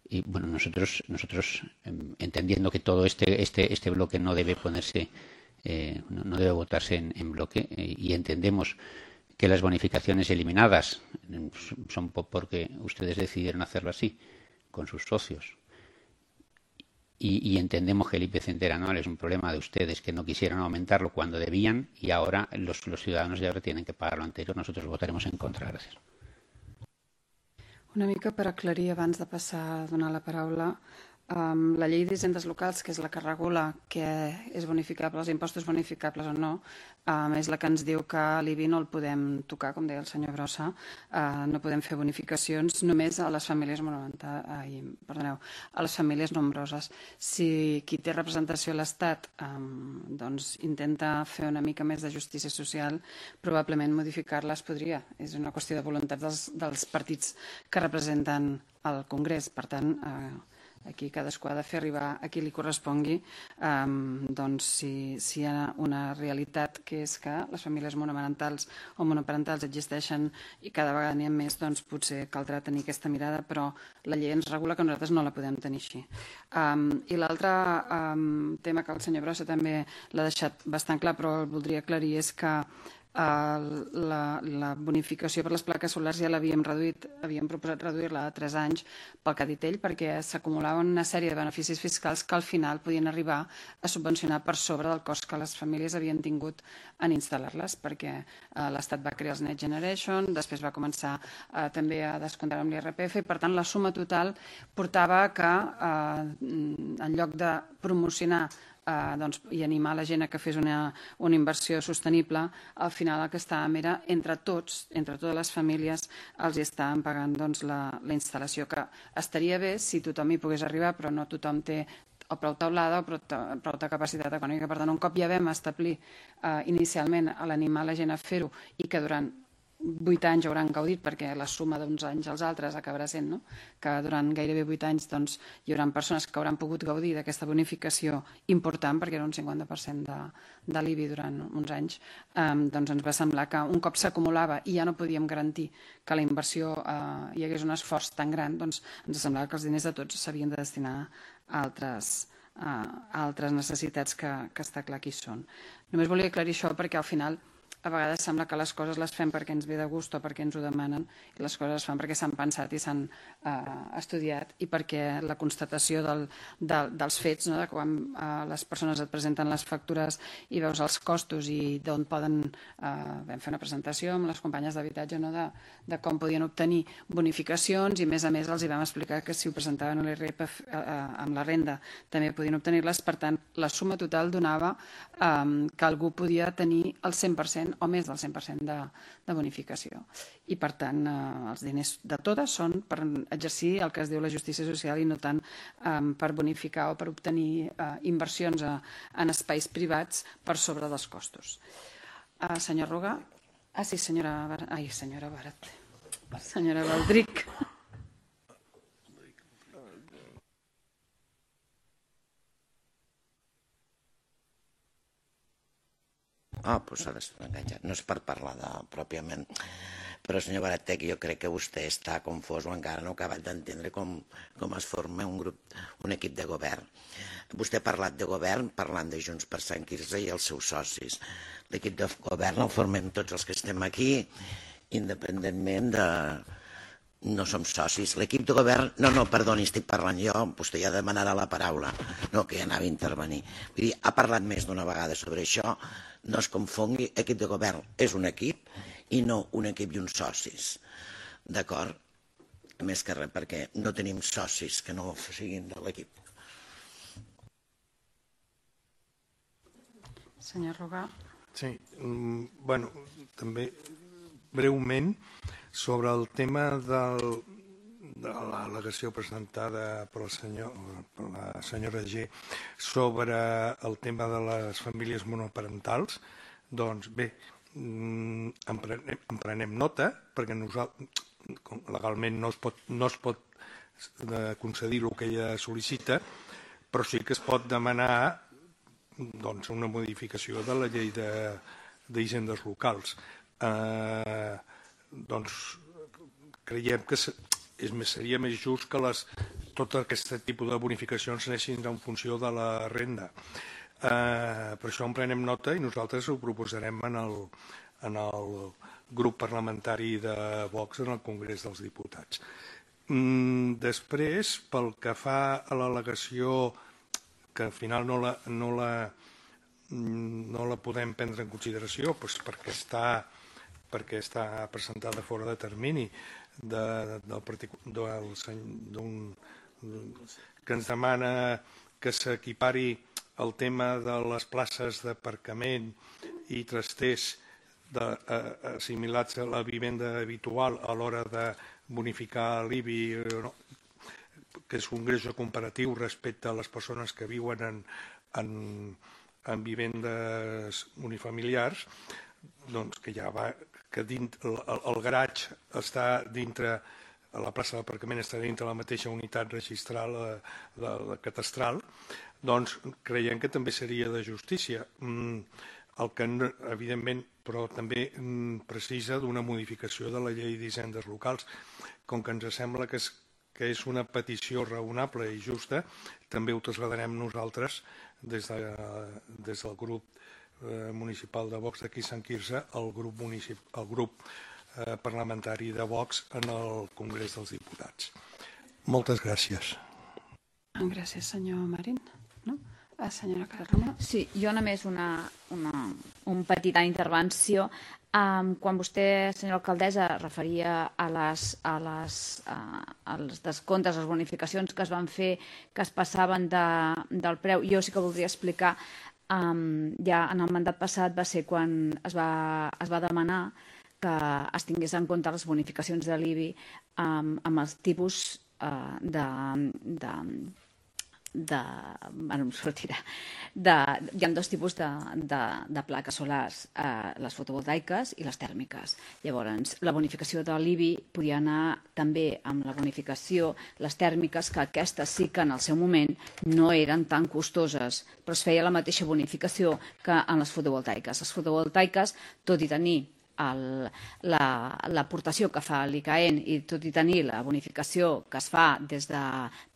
Y bueno, nosotros, nosotros eh, entendiendo que todo este, este, este bloque no debe ponerse, eh, no, no debe votarse en, en bloque eh, y entendemos que las bonificaciones eliminadas eh, son porque ustedes decidieron hacerlo así con sus socios y, y entendemos que el I P C interanual es un problema de ustedes que no quisieron aumentarlo cuando debían y ahora los, los ciudadanos de ahora tienen que pagar lo anterior. Nosotros votaremos en contra. Gràcies.
Una mica per aclarir abans de passar a donar la paraula, um, la llei d'hisendes locals, que és la que regula què és bonificable, els impostos bonificables o no, um, és la que ens diu que l'I B I no el podem tocar, com deia el senyor Brossa, uh, no podem fer bonificacions només a les famílies monomarentals, ai, perdoneu, a les famílies nombroses. Si qui té representació a l'Estat um, doncs intenta fer una mica més de justícia social, probablement modificar-les podria. És una qüestió de voluntat dels, dels partits que representen el Congrés. Per tant, eh, aquí cadascú ha de fer arribar a qui li correspongui um, doncs si, si hi ha una realitat que és que les famílies monomarentals o monoparentals existeixen i cada vegada n'hi ha més, doncs potser caldrà tenir aquesta mirada, però la llei ens regula que nosaltres no la podem tenir així. Um, I l'altre um, tema que el senyor Brossa també l'ha deixat bastant clar, però el voldria aclarir, és que La, la bonificació per les plaques solars ja l'havíem reduït, havíem proposat reduir-la a tres anys pel que ha dit ell, perquè s'acumulaven una sèrie de beneficis fiscals que al final podien arribar a subvencionar per sobre del cost que les famílies havien tingut en instal·lar-les, perquè eh, l'Estat va crear els Next Generation, després va començar eh, també a descomptar amb l'I R P F, i per tant la suma total portava que eh, en lloc de promocionar Uh, doncs, i animar la gent a que fes una, una inversió sostenible, al final el que estàvem era entre tots, entre totes les famílies, els hi estàvem pagant doncs, la, la instal·lació, que estaria bé si tothom hi pogués arribar, però no tothom té o prou taulada o prou, prou de capacitat econòmica. Per tant, un cop ja vam establir uh, inicialment a l'animar la gent a fer-ho i que durant vuit anys hauran gaudit, perquè la suma d'uns anys als altres acabarà sent, no? Que durant gairebé vuit anys doncs, hi haurà persones que hauran pogut gaudir d'aquesta bonificació important, perquè era un cinquanta per cent de, de l'I B I durant uns anys, eh, doncs ens va semblar que un cop s'acumulava i ja no podíem garantir que la inversió eh, hi hagués un esforç tan gran, doncs ens semblava que els diners de tots s'havien de destinar a altres, a altres necessitats que, que està clar que hi són. Només volia aclarir això perquè al final a vegades sembla que les coses les fem perquè ens ve de gust o perquè ens ho demanen i les coses es fan perquè s'han pensat i s'han eh, estudiat i perquè la constatació del, de, dels fets, no? De quan eh, les persones et presenten les factures i veus els costos i d'on poden eh, vam fer una presentació amb les companyes d'habitatge, no? de, de com podien obtenir bonificacions i a més a més els hi vam explicar que si ho presentaven a l'I R P F eh, amb la renda també podien obtenir-les, per tant la suma total donava eh, que algú podia tenir el cent per cent o més del cent per cent de, de bonificació. I, per tant, eh, els diners de totes són per exercir el que es diu la justícia social i no tant eh, per bonificar o per obtenir eh, inversions a, en espais privats per sobre dels costos. Uh, senyor Roga? Ah, sí, senyora Barat. Ai, senyora Barat. Senyora Baldric.
Ah, doncs ara estic enganxat. No és per parlar de, pròpiament. Però, senyor Baratec, jo crec que vostè està confós o encara no ha acabat d'entendre com, com es forma un grup, un equip de govern. Vostè ha parlat de govern parlant de Junts per Sant Quirze i els seus socis. L'equip de govern el formem tots els que estem aquí, independentment de... No som socis. L'equip de govern... No, no, perdoni, estic parlant jo. Vostè ja demanarà la paraula. No, que ja anava a intervenir. Vull dir, ha parlat més d'una vegada sobre això. No es confongui. Equip de govern és un equip i no un equip i uns socis. D'acord? Més que res, perquè no tenim socis que no siguin de l'equip.
Senyor Roga.
Sí, bueno, també breument sobre el tema del, de l'al·legació presentada per, el senyor, per la senyora G sobre el tema de les famílies monoparentals, doncs bé, en prenem, en prenem nota, perquè nosaltres, legalment no es pot, no es pot concedir el que ella sol·licita, però sí que es pot demanar doncs, una modificació de la llei d'hisendes locals. Eh, doncs creiem que és, seria més just que les, tot aquest tipus de bonificacions anessin en funció de la renda. Eh, per això en prenem nota i nosaltres ho proposarem en el, en el grup parlamentari de Vox en el Congrés dels Diputats. Mm, després, pel que fa a l'al·legació que al final no la, no la, no la podem prendre en consideració doncs perquè està perquè està presentada fora de termini de, del, del, que ens demana que s'equipari el tema de les places d'aparcament i trasters de, eh, assimilats a la vivenda habitual a l'hora de bonificar l'I B I, no? Que és un greuge comparatiu respecte a les persones que viuen en, en, en vivendes unifamiliars, doncs que ja va, que dins, el, el garatge està dintre, la plaça d'aparcament està dintre la mateixa unitat registral de, de, de catastral, doncs creiem que també seria de justícia. Mm, el que, evidentment, però també mm, precisa d'una modificació de la llei d'hisendes locals. Com que ens sembla que és, que és una petició raonable i justa, també ho traslladarem nosaltres des, de, des del grup municipal de Vox d'aquí Sant Quirze al grup, municip, al grup eh, parlamentari de Vox en el Congrés dels Diputats. Moltes gràcies.
Gràcies, senyor Marín. No? A senyora Carroma.
Sí, jo només una, una un petita intervenció. Um, quan vostè, senyora alcaldessa, referia a les, a les, uh, als descomptes, a les bonificacions que es van fer, que es passaven de, del preu, jo sí que voldria explicar. Um, ja en el mandat passat va ser quan es va, es va demanar que es tingués en compte les bonificacions de l'I B I um, amb els tipus uh, de, de, de, bueno, em sortirà, de, hi ha dos tipus de, de, de plaques solars, eh, les fotovoltaiques i les tèrmiques. Llavors, la bonificació de l'I B I podria anar també amb la bonificació, les tèrmiques, que aquestes sí que en el seu moment no eren tan costoses, però es feia la mateixa bonificació que en les fotovoltaiques. Les fotovoltaiques, tot i tenir l'aportació que fa l'I C A E N i tot i tenir la bonificació que es fa des de,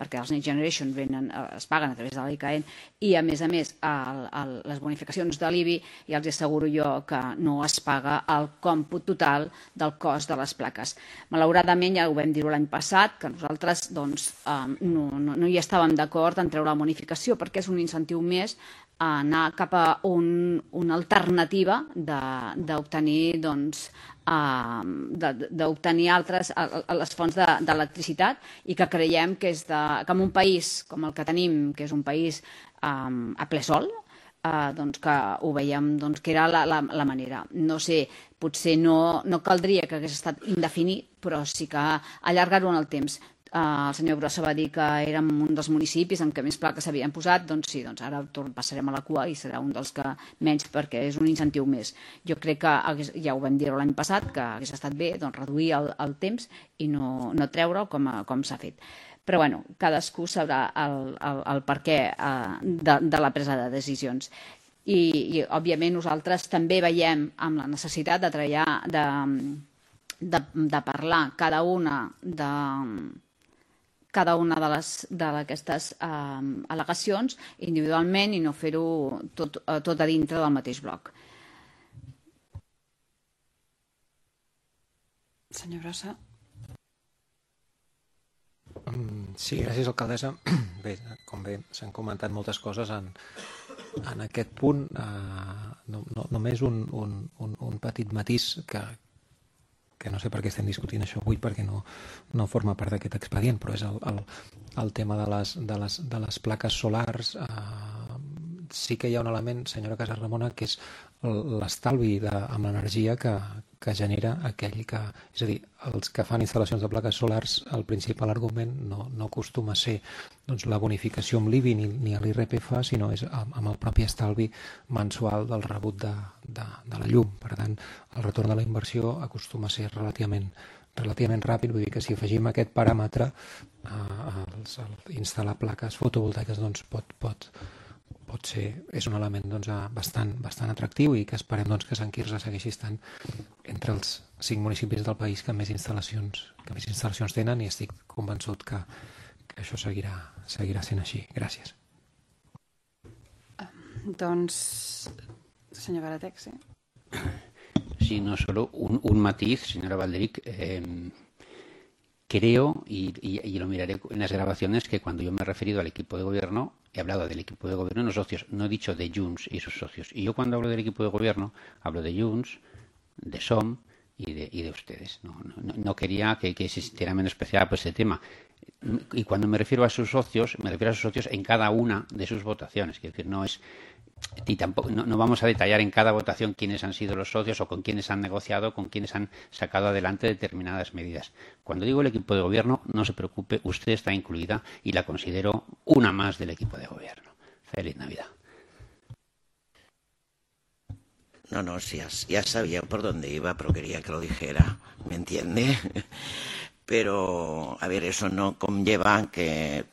perquè els Next Generation venen, es paguen a través de l'I C A E N i a més a més el, el, les bonificacions de l'I B I, ja els asseguro jo que no es paga el còmput total del cost de les plaques. Malauradament, ja ho vam dir l'any passat, que nosaltres doncs, no, no, no hi estàvem d'acord en treure la bonificació perquè és un incentiu més a anar cap a un, una alternativa d'obtenir doncs, uh, d'obtenir altres a, a les fonts d'electricitat i que creiem que, és de, que en un país com el que tenim, que és un país um, a ple sol, uh, doncs que ho veiem doncs, que era la, la, la manera. No sé, potser no, no caldria que hagués estat indefinit, però sí que allargar-ho en el temps. Uh, el senyor Brossa va dir que érem un dels municipis en què més plaques s'havien posat, doncs sí, doncs ara passarem a la cua i serà un dels que menys perquè és un incentiu més. Jo crec que, hagués, ja ho vam dir l'any passat, que hagués estat bé doncs, reduir el, el temps i no, no treure'l com, com s'ha fet. Però bueno, cadascú sabrà el, el, el per què uh, de, de la presa de decisions. I, i òbviament nosaltres també veiem amb la necessitat de treballar, de, de, de parlar cada una de cada una d'aquestes eh, al·legacions individualment i no fer-ho tot, tot a dintre del mateix bloc.
Senyor Brossa.
Sí, gràcies, alcaldessa. Bé, com bé s'han comentat moltes coses en, en aquest punt. Eh, no, no, només un, un, un, un petit matís que que no sé per què estem discutint això avui perquè no, no forma part d'aquest expedient, però és el, el, el tema de les, de les, de les plaques solars. Eh, sí que hi ha un element, senyora Casarramona, que és l'estalvi amb l'energia que, que genera aquell que... És a dir, els que fan instal·lacions de plaques solars, el principal argument no, no acostuma a ser doncs, la bonificació amb l'I B I ni, ni l'I R P F, sinó és amb el propi estalvi mensual del rebut de, de, de la llum. Per tant, el retorn de la inversió acostuma a ser relativament, relativament ràpid, vull dir que si afegim aquest paràmetre, eh, els, el, instal·lar plaques fotovoltaiques doncs, pot, pot, pot ser, és un element doncs, bastant, bastant atractiu i que esperem doncs, que Sant Quirze segueixi estant entre els cinc municipis del país que més instal·lacions, que més instal·lacions tenen i estic convençut que, que això seguirà, seguirà sent així. Gràcies.
Doncs, senyor Baratec, sí.
Sí, no, solo un, un matiz, señora Valderic. Eh, creo, y, y, y lo miraré en las grabaciones, que cuando yo me he referido al equipo de gobierno, he hablado del equipo de gobierno y los socios, no he dicho de Junts y sus socios. Y yo cuando hablo del equipo de gobierno, hablo de Junts, de S O M y de, y de ustedes. No, no, no quería que, que se sintiera menospreciada por ese tema. Y cuando me refiero a sus socios, me refiero a sus socios en cada una de sus votaciones. Quiero decir, no es... Y tampoco no, no vamos a detallar en cada votación quiénes han sido los socios o con quiénes han negociado, con quiénes han sacado adelante determinadas medidas. Cuando digo el equipo de gobierno, no se preocupe, usted está incluida y la considero una más del equipo de gobierno. Feliz Navidad.
No, no, sí, ya, ya sabía por dónde iba, pero quería que lo dijera, ¿me entiende? Pero, a ver, eso no conlleva que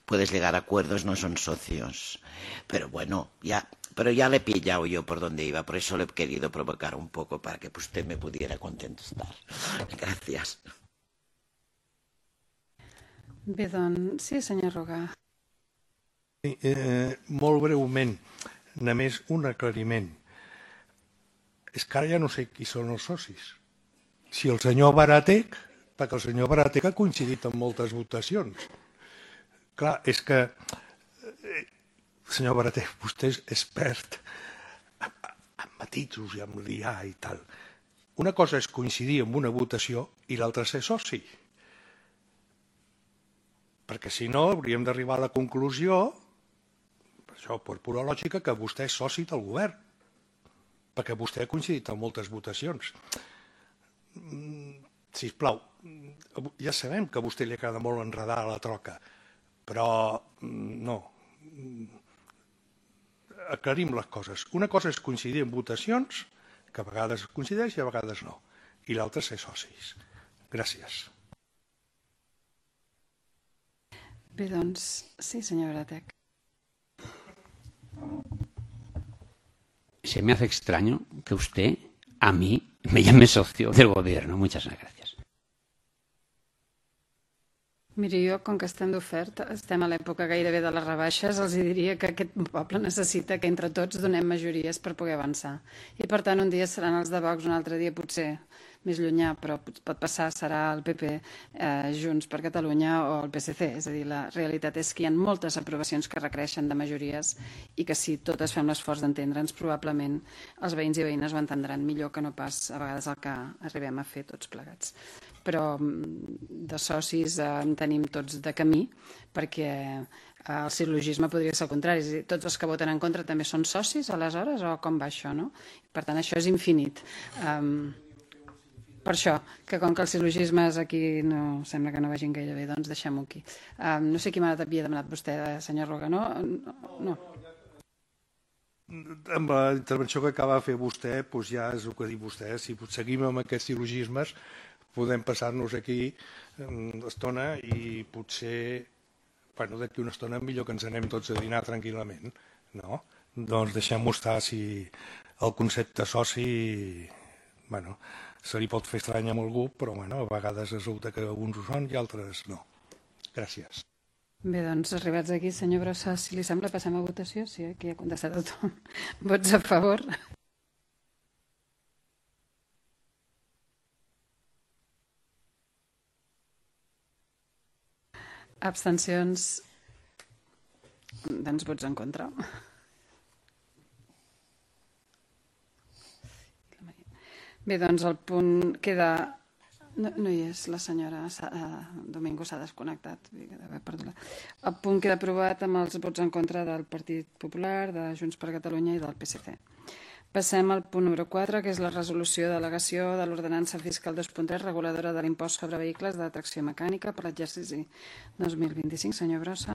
puedes llegar a acuerdos, no son socios. Pero bueno, ya, pero ya le he pillado yo por dónde iba, por eso le he querido provocar un poco para que usted me pudiera contestar. Gracias.
Bé, doncs, sí, senyor Roga.
Sí, eh, molt breument, només un aclariment. És que ara ja no sé qui són els socis. Si el senyor Baratec, perquè el senyor Baratec ha coincidit en moltes votacions. Clar, és que, eh, senyor Baratec, vostè és expert en matisos i en liar i tal. Una cosa és coincidir en una votació i l'altra ser soci. Perquè si no hauríem d'arribar a la conclusió, per això, per pura lògica, que vostè és soci del govern, perquè vostè ha coincidit en moltes votacions. Sisplau, ja sabem que a vostè li agrada molt enredar a la troca, però no. Aclarim les coses. Una cosa és coincidir en votacions, que a vegades coincideix i a vegades no, i l'altra ser socis. Gràcies.
Bé, doncs, sí, senyor Bratec.
Se me hace extraño que usted a mí me llame socio del gobierno. Muchas gracias.
Miri, jo, com que estem d'oferta, estem a l'època gairebé de les rebaixes, els diria que aquest poble necessita que entre tots donem majories per poder avançar. I, per tant, un dia seran els de Vox, un altre dia potser més llunyà, però pot passar, serà el P P, eh, Junts per Catalunya o el P S C. És a dir, la realitat és que hi ha moltes aprovacions que requereixen de majories i que si totes fem l'esforç d'entendre'ns, probablement els veïns i veïnes ho entendran millor que no pas a vegades el que arribem a fer tots plegats. Però de socis en tenim tots de camí, perquè el sil·logisme podria ser el contrari. És a dir, tots els que voten en contra també són socis, aleshores, o com va això, no? Per tant, això és infinit. Um, per això, que com que el sil·logisme aquí no sembla que no vagin gaire bé, doncs deixem-ho aquí. Um, no sé qui m'ha havia demanat vostè, senyor Roga, no? No.
Amb la intervenció que acaba de fer vostè, doncs ja és el que ha dit vostè. Si seguim amb aquests sil·logismes, podem passar-nos aquí l'estona i potser, bueno, d'aquí una estona millor que ens anem tots a dinar tranquil·lament, no? Doncs deixem-ho estar. Si el concepte soci, bueno, se li pot fer estrany amb algú, però bueno, a vegades resulta que alguns ho són i altres no. Gràcies.
Bé, doncs, arribats aquí, senyor Brossa, si li sembla, passem a votació. Sí, aquí ha contestat el Tom. Vots a favor? Abstencions? Doncs vots en contra. Bé, doncs el punt queda... No, no hi és, la senyora Domingo s'ha desconnectat. El punt queda aprovat amb els vots en contra del Partit Popular, de Junts per Catalunya i del P S C. Passem al punt número quatre, que és la resolució de delegació de l'ordenança fiscal dos punt tres, reguladora de l'impost sobre vehicles de tracció mecànica per l'exercici dos mil vint-i-cinc. Senyor Brossa.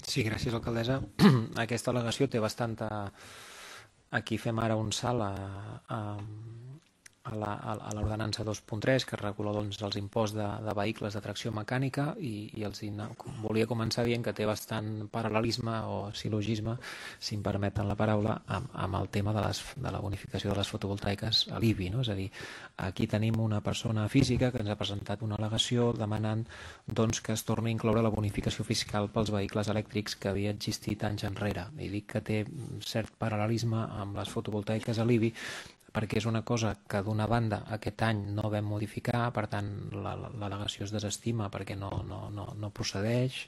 Sí, gràcies, alcaldessa. Aquesta al·legació té bastanta... Aquí fem ara un salt a, a, a l'ordenança dos punt tres, que regula doncs, els imposts de, de vehicles de tracció mecànica, i, i els volia començar dient que té bastant paral·lelisme o sil·logisme, si em permeten la paraula, amb, amb el tema de, les, de la bonificació de les fotovoltaiques a l'I B I. No? És a dir, aquí tenim una persona física que ens ha presentat una al·legació demanant doncs, que es torni a incloure la bonificació fiscal pels vehicles elèctrics que havia existit anys enrere. I dic que té cert paral·lelisme amb les fotovoltaiques a l'I B I, perquè és una cosa que d'una banda aquest any no vam modificar, per tant l'al·legació es desestima perquè no, no, no, no procedeix,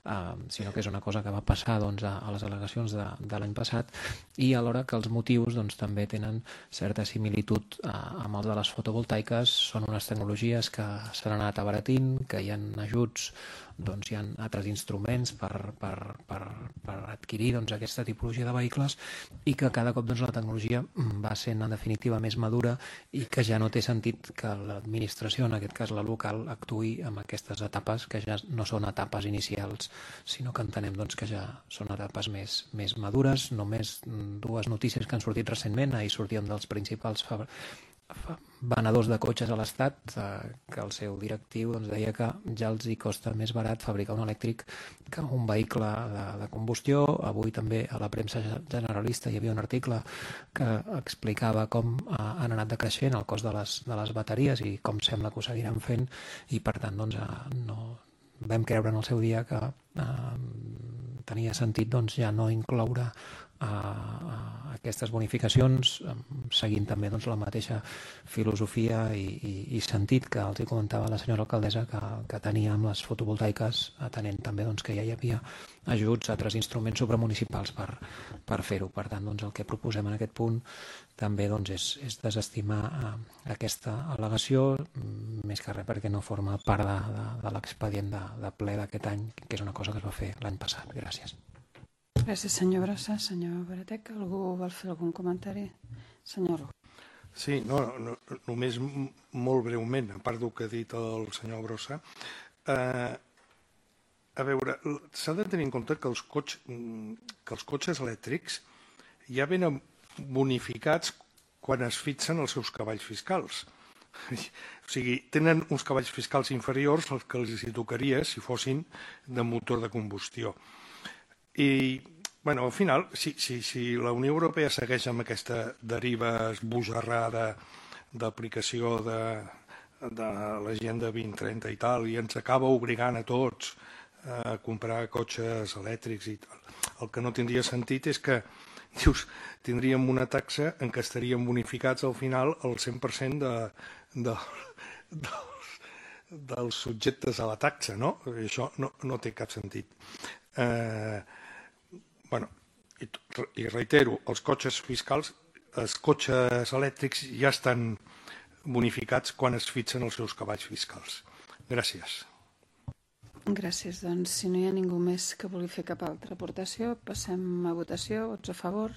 eh, sinó que és una cosa que va passar doncs, a, a les al·legacions de, de l'any passat, i alhora que els motius doncs, també tenen certa similitud eh, amb els de les fotovoltaiques. Són unes tecnologies que s'han anat abaratint, que hi ha ajuts, doncs hi ha altres instruments per, per, per, per adquirir doncs, aquesta tipologia de vehicles, i que cada cop doncs, la tecnologia va sent en definitiva més madura, i que ja no té sentit que l'administració, en aquest cas la local, actuï en aquestes etapes que ja no són etapes inicials, sinó que entenem doncs, que ja són etapes més, més madures. Només dues notícies que han sortit recentment. Ahir sortíem dels principals venedors de cotxes a l'Estat, eh, que el seu directiu doncs, deia que ja els hi costa més barat fabricar un elèctric que un vehicle de, de combustió. Avui també a la premsa generalista hi havia un article que explicava com eh, han anat decreixent el cost de les, de les bateries i com sembla que ho seguiran fent, i per tant doncs, eh, no vam creure en el seu dia que eh, tenia sentit doncs, ja no incloure a, a aquestes bonificacions, seguint també doncs, la mateixa filosofia i, i, i sentit que els hi comentava la senyora alcaldessa que, que tenia amb les fotovoltaiques, atenent també doncs, que ja hi havia ajuts a altres instruments supramunicipals per, per fer-ho. Per tant, doncs, el que proposem en aquest punt també doncs, és, és desestimar eh, aquesta al·legació, més que res perquè no forma part de, de, de l'expedient de, de ple d'aquest any, que és una cosa que es va fer l'any passat. Gràcies.
Gràcies, senyor Brossa. Senyor Bratec, algú vol fer algun comentari? Senyor Roc.
Sí, no, no, només molt breument, a part del que ha dit el senyor Brossa, eh, a veure, s'ha de tenir en compte que els, cotx, que els cotxes elèctrics ja venen bonificats quan es fixen els seus cavalls fiscals. O sigui, tenen uns cavalls fiscals inferiors als que els hi tocaria si fossin de motor de combustió. I, bueno, al final, si, si, si la Unió Europea segueix amb aquesta deriva esbojarrada d'aplicació de, de l'Agenda vint trenta i tal, i ens acaba obligant a tots a comprar cotxes elèctrics i tal, el que no tindria sentit és que dius, tindríem una taxa en què estaríem bonificats al final el cent per cent de, de, dels, dels subjectes a la taxa, no? Això no, no té cap sentit. Eh, bueno, i, i reitero, els cotxes fiscals, els cotxes elèctrics ja estan bonificats quan es fixen els seus cavalls fiscals. Gràcies.
Gràcies. Doncs, si no hi ha ningú més que vulgui fer cap altra aportació, passem a votació. Vots a favor?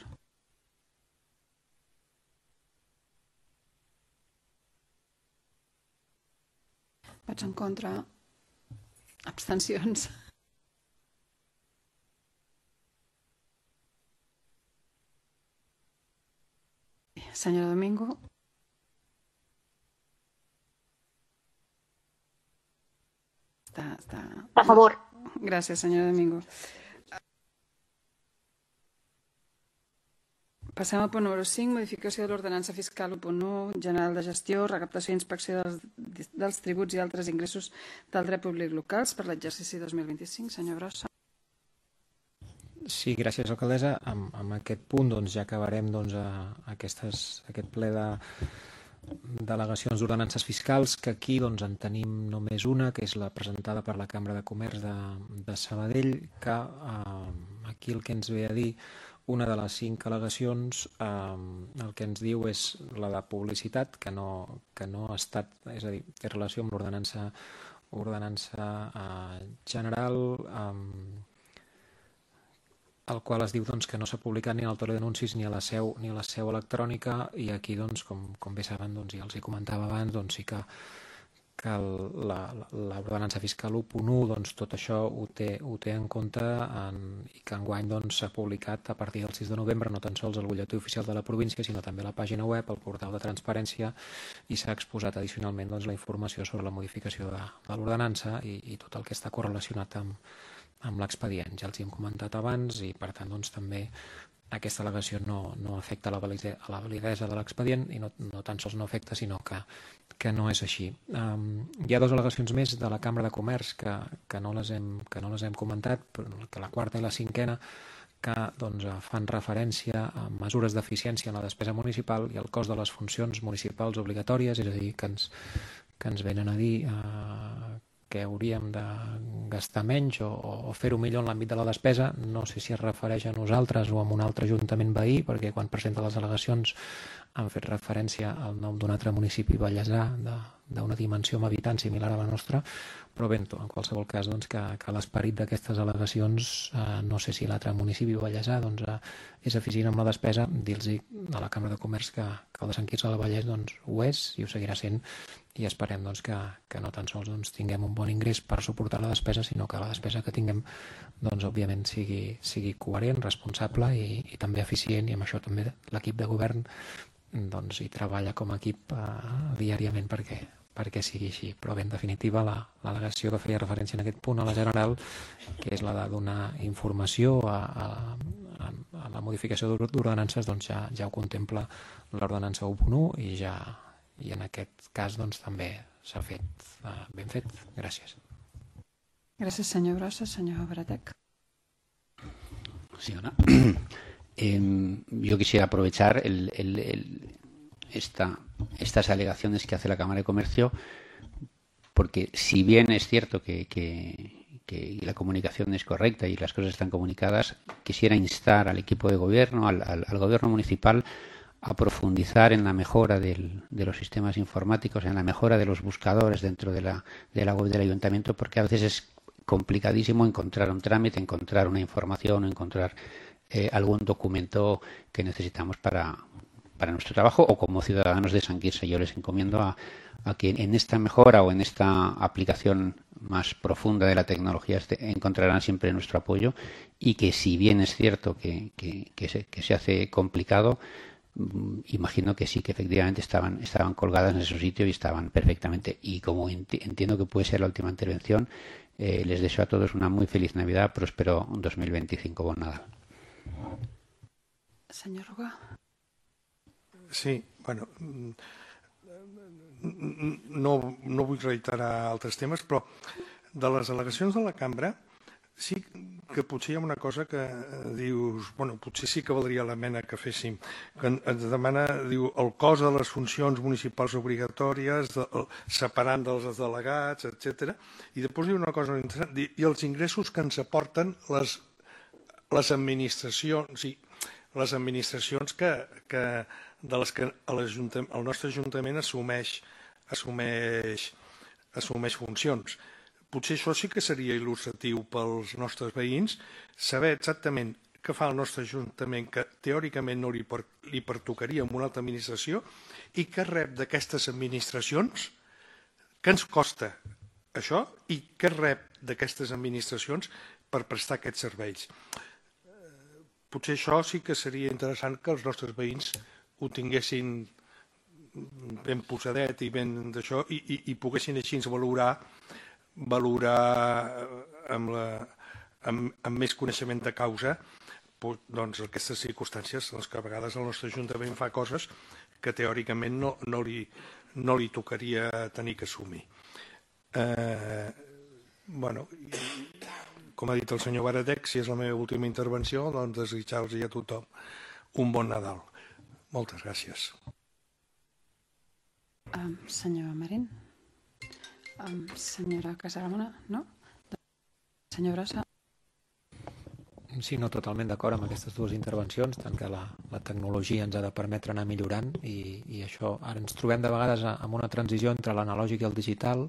Vots en contra? Abstencions? Senyora Domingo? Està, està...
A favor.
Gràcies, senyora Domingo. Passem al punt número cinc, modificació de l'ordenança fiscal u punt u, general de gestió, recaptació i inspecció dels, dels tributs i altres ingressos del dret públic locals per l'exercici dos mil vint-i-cinc. Senyor Brossa.
Sí, gràcies, alcaldessa. Amb, amb aquest punt doncs, ja acabarem doncs, a, a aquestes, aquest ple de delegacions d'ordenances fiscals, que aquí doncs, en tenim només una, que és la presentada per la Cambra de Comerç de, de Sabadell, que eh, aquí el que ens ve a dir, una de les cinc al·legacions, eh, el que ens diu és la de publicitat, que no, que no ha estat, és a dir, té relació amb l'ordenança ordenança eh, general, eh, el qual es diu doncs, que no s'ha publicat ni en el taulell d'anuncis ni a la seu ni a la seu electrònica, i aquí, doncs, com, com bé saben, doncs, ja els hi comentava abans, doncs, sí que, que l'ordenança fiscal u punt u doncs, tot això ho té, ho té en compte en, i que enguany doncs, s'ha publicat a partir del sis de novembre no tan sols al butlletí oficial de la província, sinó també a la pàgina web, al portal de transparència, i s'ha exposat addicionalment doncs, la informació sobre la modificació de, de l'ordenança i, i tot el que està correlacionat amb amb l'expedient. Ja els hi hem comentat abans i, per tant, doncs, també aquesta al·legació no, no afecta la validesa, la validesa de l'expedient i no, no tan sols no afecta, sinó que, que no és així. Um, hi ha dues al·legacions més de la Cambra de Comerç que, que, no, les hem, que no les hem comentat, però que la quarta i la cinquena, que doncs, fan referència a mesures d'eficiència en la despesa municipal i al cost de les funcions municipals obligatòries, és a dir, que ens, que ens venen a dir eh, que hauríem de gastar menys o, o fer-ho millor en l'àmbit de la despesa. No sé si es refereix a nosaltres o a un altre ajuntament veí, perquè quan presenta les al·legacions han fet referència al nom d'un altre municipi vallesà d'una dimensió amb habitants similar a la nostra, però bé, en qualsevol cas doncs, que, que l'esperit d'aquestes al·legacions, eh, no sé si l'altre municipi vallesà doncs, eh, és eficient amb la despesa, dir-los a la Cambra de Comerç que, que el de Sant Quirze del Vallès doncs, ho és i ho seguirà sent, i esperem doncs, que, que no tan sols doncs, tinguem un bon ingrés per suportar la despesa, sinó que la despesa que tinguem doncs, òbviament sigui, sigui coherent, responsable i, i també eficient, i amb això també l'equip de govern doncs, hi treballa com a equip eh, diàriament perquè, perquè sigui així. Però bé, en definitiva, l'al·legació que feia referència en aquest punt a la general, que és la de donar informació a, a, a la modificació d'ordenances, doncs ja, ja ho contempla l'ordenança u punt u i ja i en aquest cas doncs, també s'ha fet uh, ben fet. Gràcies.
Gràcies, senyor Brossa. Senyor Baratec.
Sí, Ana. Eh, yo quisiera aprovechar el, el, el, esta, estas alegaciones que hace la Cámara de Comercio, porque si bien es cierto que, que, que la comunicación es correcta y las cosas están comunicadas, quisiera instar al equipo de gobierno, al, al, al gobierno municipal, a profundizar en la mejora del, de los sistemas informáticos, en la mejora de los buscadores dentro de la, de la web del ayuntamiento, porque a veces es complicadísimo encontrar un trámite, encontrar una información, encontrar eh, algún documento que necesitamos para, para nuestro trabajo o como ciudadanos de San Quirze. Yo les encomiendo a, a que en esta mejora o en esta aplicación más profunda de la tecnología este, encontrarán siempre nuestro apoyo, y que si bien es cierto que, que, que, se, que se hace complicado, imagino que sí, que efectivamente estaban, estaban colgadas en su sitio y estaban perfectamente. Y como enti entiendo que puede ser la última intervención, eh, les deseo a todos una muy feliz Navidad, próspero dos mil veinticinco. Bon Nadal.
Senyor Rugà.
Sí, bueno, no, no vull reiterar altres temes, però de les al·legacions de la cambra sí que potser hi ha una cosa que dius, bueno, potser sí que valdria la pena que féssim, que ens demana, diu, el cost de les funcions municipals obligatòries, de, separant dels delegats, etcètera. I després diu una cosa interessant, i els ingressos que ens aporten les, les administracions, i les administracions que, que, de les que el nostre Ajuntament assumeix, assumeix, assumeix funcions. Potser això sí que seria il·lustratiu pels nostres veïns, saber exactament què fa el nostre Ajuntament, que teòricament no li, per, li pertocaria amb una altra administració, i què rep d'aquestes administracions, què ens costa això, i què rep d'aquestes administracions per prestar aquests serveis. Potser això sí que seria interessant que els nostres veïns ho tinguessin ben posadet i ben d'això, i, i, i poguessin així valorar valorar amb, la, amb, amb més coneixement de causa doncs, aquestes circumstàncies en les que a vegades el nostre Ajuntament fa coses que teòricament no, no, li, no li tocaria tenir que assumir. Eh, bueno, com ha dit el senyor Baratec, si és la meva última intervenció, doncs desitjar-los a tothom un bon Nadal. Moltes gràcies.
Um, senyor Marín. Um, senyora Casaramona, no? Senyor Brossa.
Sí, no, totalment d'acord amb aquestes dues intervencions, tant que la, la tecnologia ens ha de permetre anar millorant i, i això, ara ens trobem de vegades amb una transició entre l'analògic i el digital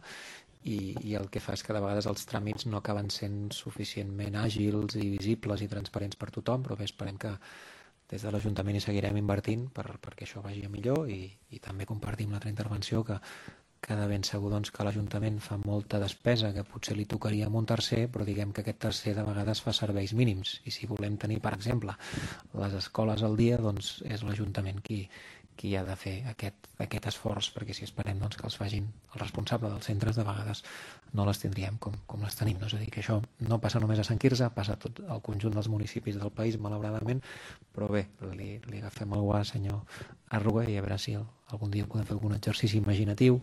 i, i el que fa és que de vegades els tràmits no acaben sent suficientment àgils i visibles i transparents per tothom, però bé, esperem que des de l'Ajuntament hi seguirem invertint per, perquè això vagi a millor i, i també compartim l'altra intervenció que que de ben segur doncs, que l'Ajuntament fa molta despesa que potser li tocaria amb un tercer, però diguem que aquest tercer de vegades fa serveis mínims i si volem tenir, per exemple, les escoles al dia, doncs és l'Ajuntament qui, qui ha de fer aquest, aquest esforç, perquè si esperem doncs, que els facin el responsable dels centres, de vegades no les tindríem com, com les tenim. No? És a dir, que això no passa només a Sant Quirze, passa a tot el conjunt dels municipis del país, malauradament, però bé, li, li agafem el guà, senyor Arruga, i a veure si el, algun dia podem fer algun exercici imaginatiu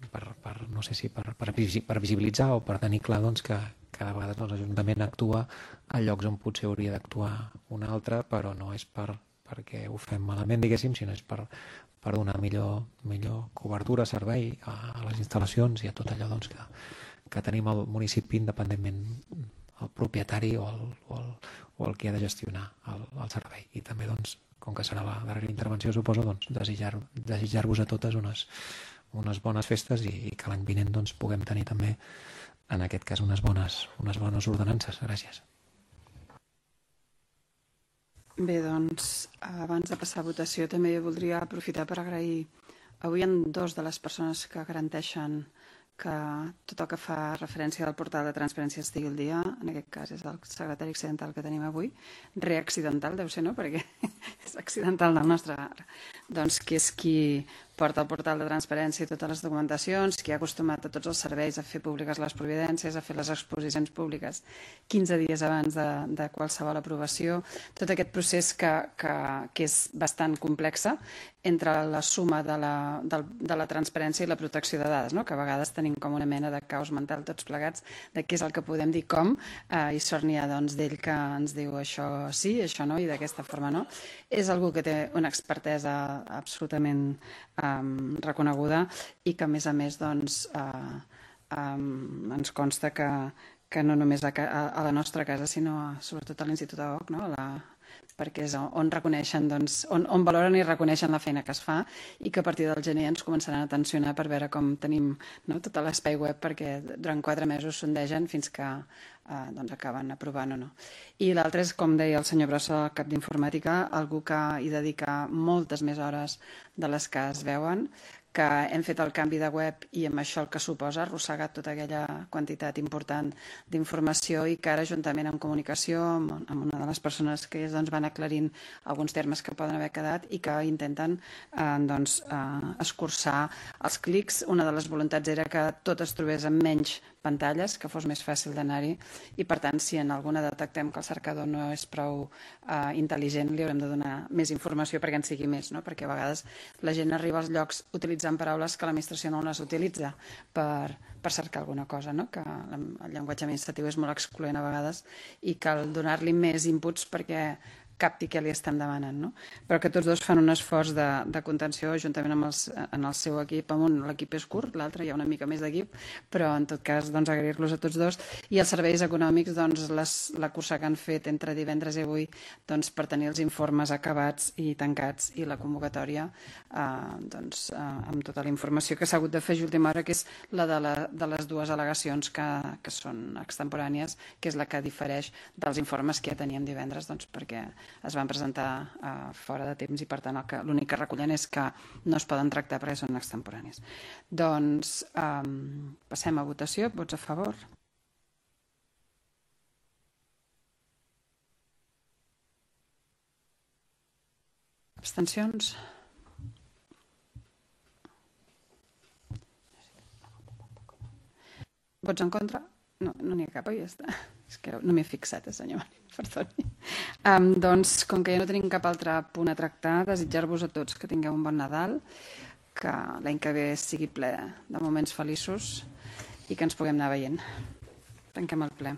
per, per no sé si per, per, per visibilitzar o per tenir clar doncs, que cada vegada doncs, l'Ajuntament actua a llocs on potser hauria d'actuar un altre, però no és per, perquè ho fem malament, diguéssim, sinó és per, per donar millor, millor cobertura, servei a, a les instal·lacions i a tot allò doncs, que, que tenim al municipi, independentment el propietari o el, o el, o el que ha de gestionar el, el servei. I també, doncs, com que serà la darrera intervenció, suposo, doncs, desitjar-vos desitjar a totes unes, unes bones festes i, i que l'any vinent doncs, puguem tenir també, en aquest cas, unes bones, unes bones ordenances. Gràcies.
Bé, doncs, abans de passar a votació, també voldria aprofitar per agrair avui en dos de les persones que garanteixen que tot el que fa referència al portal de transparència estigui al dia, en aquest cas és el secretari accidental que tenim avui, reaccidental deu ser, no? Perquè és accidental del nostre, doncs que és qui porta el portal de transparència i totes les documentacions, qui ha acostumat a tots els serveis a fer públiques les providències, a fer les exposicions públiques quinze dies abans de, de qualsevol aprovació, tot aquest procés que, que, que és bastant complexa entre la suma de la, de, de la transparència i la protecció de dades, no? Que a vegades tenim com una mena de caos mental tots plegats de què és el que podem dir com, eh, i sort n'hi ha doncs, d'ell que ens diu això sí, això no, i d'aquesta forma no. És algú que té una expertesa absolutament um, reconeguda i que a més a més doncs, uh, um, ens consta que, que no només a, a la nostra casa sinó a, sobretot a l'Institut A O C, no? a, la, perquè és on reconeixen, doncs, on, on valoren i reconeixen la feina que es fa i que a partir del gener ens començaran a tensionar per veure com tenim, no, tot l'espai web, perquè durant quatre mesos sondegen fins que eh, doncs acaben aprovant o no. I l'altre és, com deia el senyor Brossa, el cap d'informàtica, algú que hi dedica moltes més hores de les que es veuen, que hem fet el canvi de web i amb això el que suposa arrossegat tota aquella quantitat important d'informació i que ara, juntament amb comunicació, amb, amb una de les persones que doncs, van aclarint alguns termes que poden haver quedat i que intenten eh, doncs, eh, escurçar els clics. Una de les voluntats era que tot es trobés amb menys pantalles, que fos més fàcil d'anar-hi i, per tant, si en alguna detectem que el cercador no és prou eh, intel·ligent, li haurem de donar més informació perquè en sigui més, no? Perquè a vegades la gent arriba als llocs utilitzant paraules que l'administració no les utilitza per, per cercar alguna cosa, no? Que el llenguatge administratiu és molt excloent a vegades i cal donar-li més inputs perquè capti què li estem demanant, no? Però que tots dos fan un esforç de, de contenció juntament amb els, en el seu equip. Amb un l'equip és curt, l'altre hi ha una mica més d'equip, però en tot cas doncs, agrair-los a tots dos. I els serveis econòmics, doncs, les, la cursa que han fet entre divendres i avui doncs, per tenir els informes acabats i tancats i la convocatòria eh, doncs, eh, amb tota la informació que s'ha hagut de fer a última hora, que és la de, la, de les dues al·legacions que, que són extemporànies, que és la que difereix dels informes que ja teníem divendres, doncs, perquè es van presentar uh, fora de temps i per tant l'únic que recullen és que no es poden tractar perquè són extemporànies. Doncs um, passem a votació. Vots a favor? Abstencions? Vots en contra? No, no n'hi ha cap, oi? Ja està. És que no m'he fixat, eh, senyor Marín, perdoni. Um, doncs, com que ja no tenim cap altre punt a tractar, desitjar-vos a tots que tingueu un bon Nadal, que l'any que ve sigui ple de moments feliços i que ens puguem anar veient. Tanquem el ple.